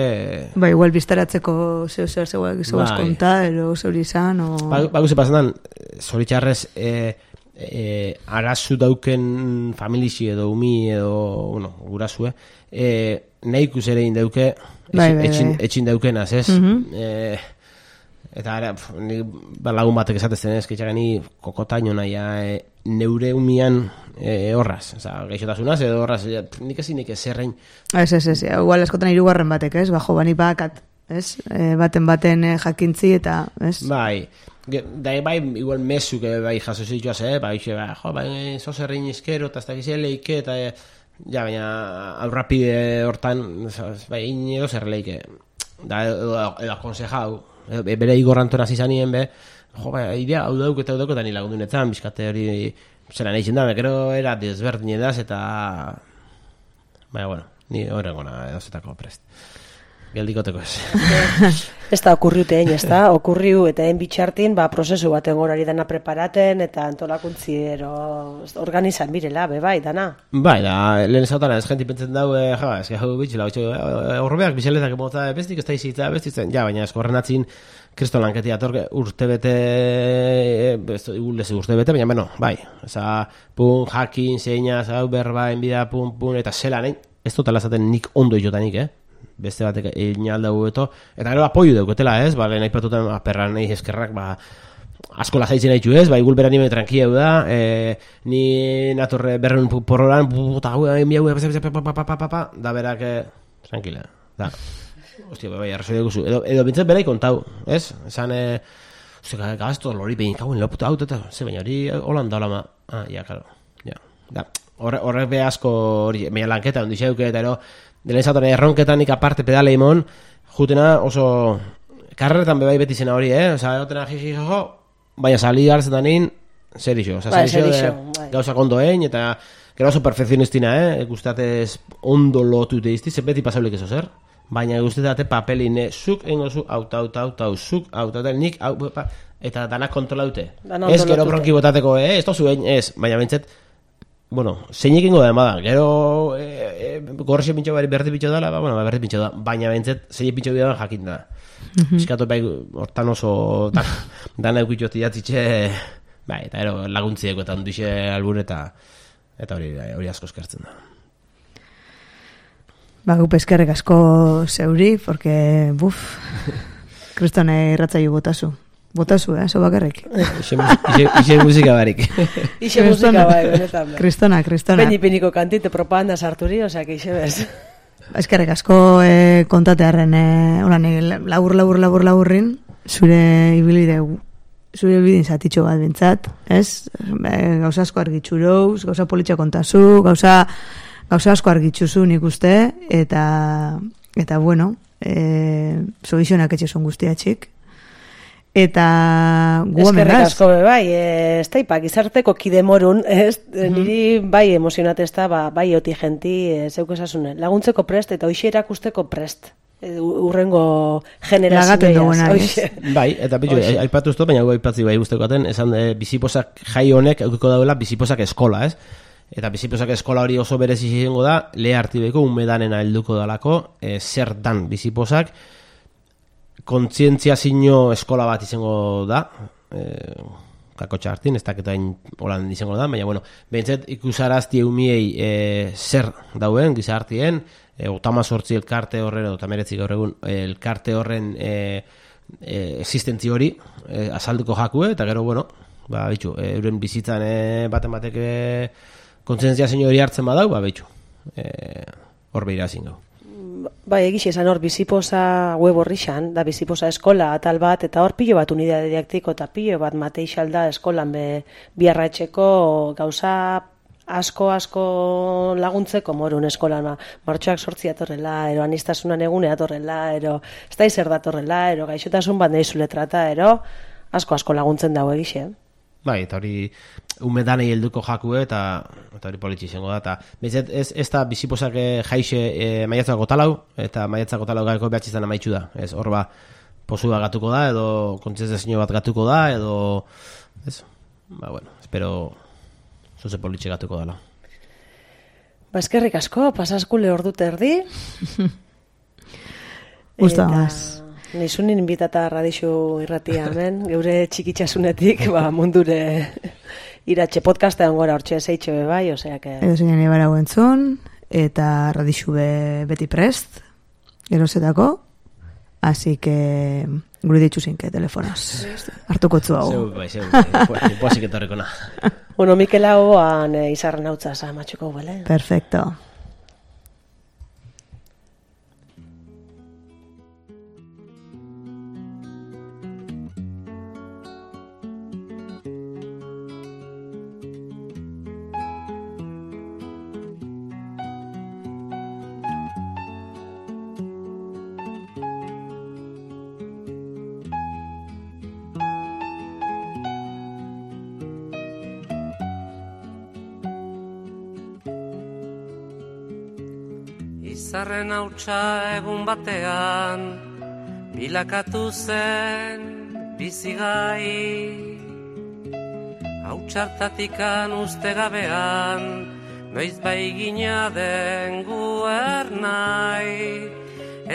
igual biztaratzeko zeu zegoaz konta, ero zeuri izan, o... Guze pasan, zoritxarrez, arazu dauken familixi edo umi edo, gurasue, nahi ikus ere indauke, etxin daukenaz, ez? Eta lagun batek esatezten ez, ketxageni kokotaino naia neure umian horraz, gaixotasunaz edo horraz, nik ezinik ezerrein. Ez, igual eskotan irugarren batek, ez? Bajo bani bakat, ez? Baten jakintzi eta, ez? Bai, igual mesuk bai jaso zituaz, zozerrein izkero, eta ez da gizia leike, eta baina aurrapide hortan, ino zer leike, edo akonsejau, bere Igor Anton azizanien idea hau dauk eta ni lagundunetan bizkate hori zelan egin da, gero era desberdin edaz eta Baina, bueno, ni horrengona edozetako prest. Geldikoteko ez. Ez da okurriute egin, ez da? Okurriu eta egin bitxartin, prozesu baten gorari dana preparaten eta antolakuntzi organizan birela, bai, dana. Bai, da, lehen ezautan ez jenti pentzen dau, ez gau bitxela, horrebeak bizeletak emota bestik, ez da izitza, bestitzen, baina ez horren atzin, kriston lanketia atorke urtebete, urtebete, baina beno, bai, eza, pun, jakin, zeina, zau, berba, enbida, pun, eta zelan, ez dutela zaten nik ondo itotanik, beste batek egin aldau beto, eta gero apoio dauketela, ez, lehen aipatuten perran nahi eskerrak, asko lazaitzen haitu ez, gulbera nime tranquila da, ni natorre berren porroran, eta miau, da berak, tranquila, da, hostia, arrazoi dugu zu, edo bintzat berai kontau, ez, esan, gazto, lori behin kauen loputa hau, eta, ze baina hori holanda olama, karo, da, horrek be asko hori, meia lanketa, ondi xeuke, eta ero, dela izatoren erronketanik aparte pedale imon, jutena oso karreretan bebai beti zena hori, oza, egotena jiji, baina sali gartzen danin, zer iso, oza, zer iso gauza kondo egin, eta gero oso perfekzionistina, gustatez ondo lotu teizti, ze beti pasaulik eso zer, baina gustatez papelin, zuk engo zu, zuk, nik, eta danak kontrolaute. Ez gero bronki botateko, ez tozu egin, ez, baina bentset, bueno, zeinik ingo da emadan, gero gorrexio pintxo berdi pintxo dela, berdi pintxo da, baina bentzet zeinik pintxo bidan jakin da. Eskatu bai, hortan oso dana eukitxo tiatzitxe, bai, eta ero laguntzieko eta onduixe albur eta hori asko eskertzen da. Gup eskerrek asko zeuri, porque, kristone irratzaio botazu. Botazu, zo bakarrik. Ixe musika barik. Ixe musika bai, benetan. Kristona. Penipiniko kantite propaganda sarturi, osea, ixe bez. Eskerrek asko kontatearen, laburrin, zure ibilide, zure bidin zatitxo bat bintzat, ez? Gauza asko argitxurouz, gauza politxa kontazu, gauza asko argitxuzu nik uste, eta bueno, zoizionak etxezon guztiatxik. Eta eskerrik asko bai, ez taipak izarteko kidemorun, niri bai emozionatez da, bai oti genti zeuk esasune, laguntzeko prest eta hoxe erakusteko prest, urrengo generazioa. Bai, eta bitu, aipatu ez baina aipatzi bai guzteko aten, esan biziposak jai honek eukiko dauela biziposak eskola, ez? Eta biziposak eskola hori oso berezi izango da, lehe hartibeko umedanena helduko dalako, zer dan biziposak, kontzientziazio eskola bat izango da, kakotxa hartin, ez daketain holan izango da, baina, bueno, behintzet ikusarazti eumiei zer dauen, gizartien, 18 elkarte horren, eta meretzik gaur egun, elkarte horren existentzi hori azalduko jakue, eta gero, bueno, bitxu, euren bizitzan baten batek kontzientziazio hori hartzen badau, bitxu, hor behira zingo. Bai, egixe esan hor, biziposa web horrixan, da biziposa eskola atal bat, eta hor pilo bat unidade didaktiko eta pilo bat mateixal da eskolan biarratxeko gauza asko laguntzeko morun eskolan, martxoak 8 atorrela, ero anistasunan egune atorrela, ero ez da izer datorrela, ero gaixotasun bat nahizule trata, ero asko laguntzen dago egixe. Bai, eta hori umedanei helduko jakue eta hori politxe izango da, eta ez da biziposak jaixe maiatzako talau, eta maiatzako talau gaiko behatxizan amaitxu da, ez hor posu bat gatuko da, edo kontzientziazio bat gatuko da, edo, ez, bueno, espero zuze politxe gatuko dela. Eskerrik asko, pasaskule ordut erdi. Gustamaz. Nizunin inbitata radixu irratia hemen, geure txikitxasunetik, mundure iratxe podcastean gora hortxe zeitxe bai, oseak... Edo zein ebara guentzun, eta radixu beti prest, gerozetako, así que gure ditxu zinke telefonoz, hartuko tzu hau. Zeu, posik etorriko na. Bueno, Mikel hauan izarren hau txasa, matxuko bale. Perfecto. Izarren hautsa egun batean, bilakatu zen bizigai. Hautsartatikan uste gabean, noiz bai gina den guernai.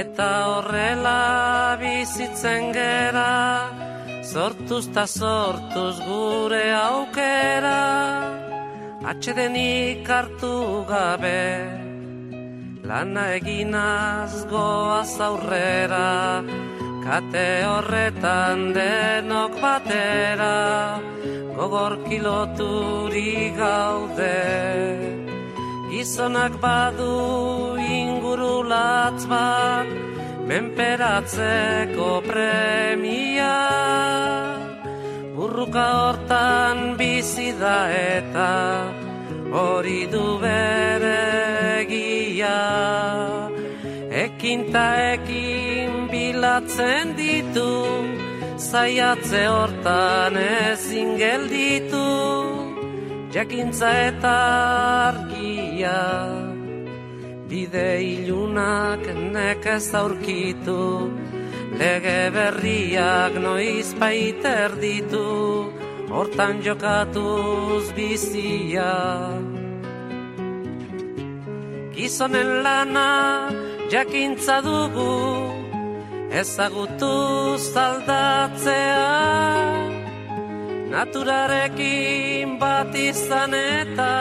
Eta horrela bizitzen gera, sortuz ta sortuz gure aukera. Atsedenik hartu gabe, lana eginaz goaz aurrera, kate horretan denok batera, gogor kiloturi gaude. Gizonak badu inguru latz bat, menperatzeko premia. Burruka hortan bizi da eta hori du bere egia. Ekin ta ekin bilatzen ditu, zaiatze hortan ezin gelditu. Jakintza eta argia, bide ilunak nekez aurkitu, lege berriak noiz baiter ditu, hortan jokatuz bizia. Gizonen lana jakintza dugu, ezagutuz aldatzea, naturarekin bat izan eta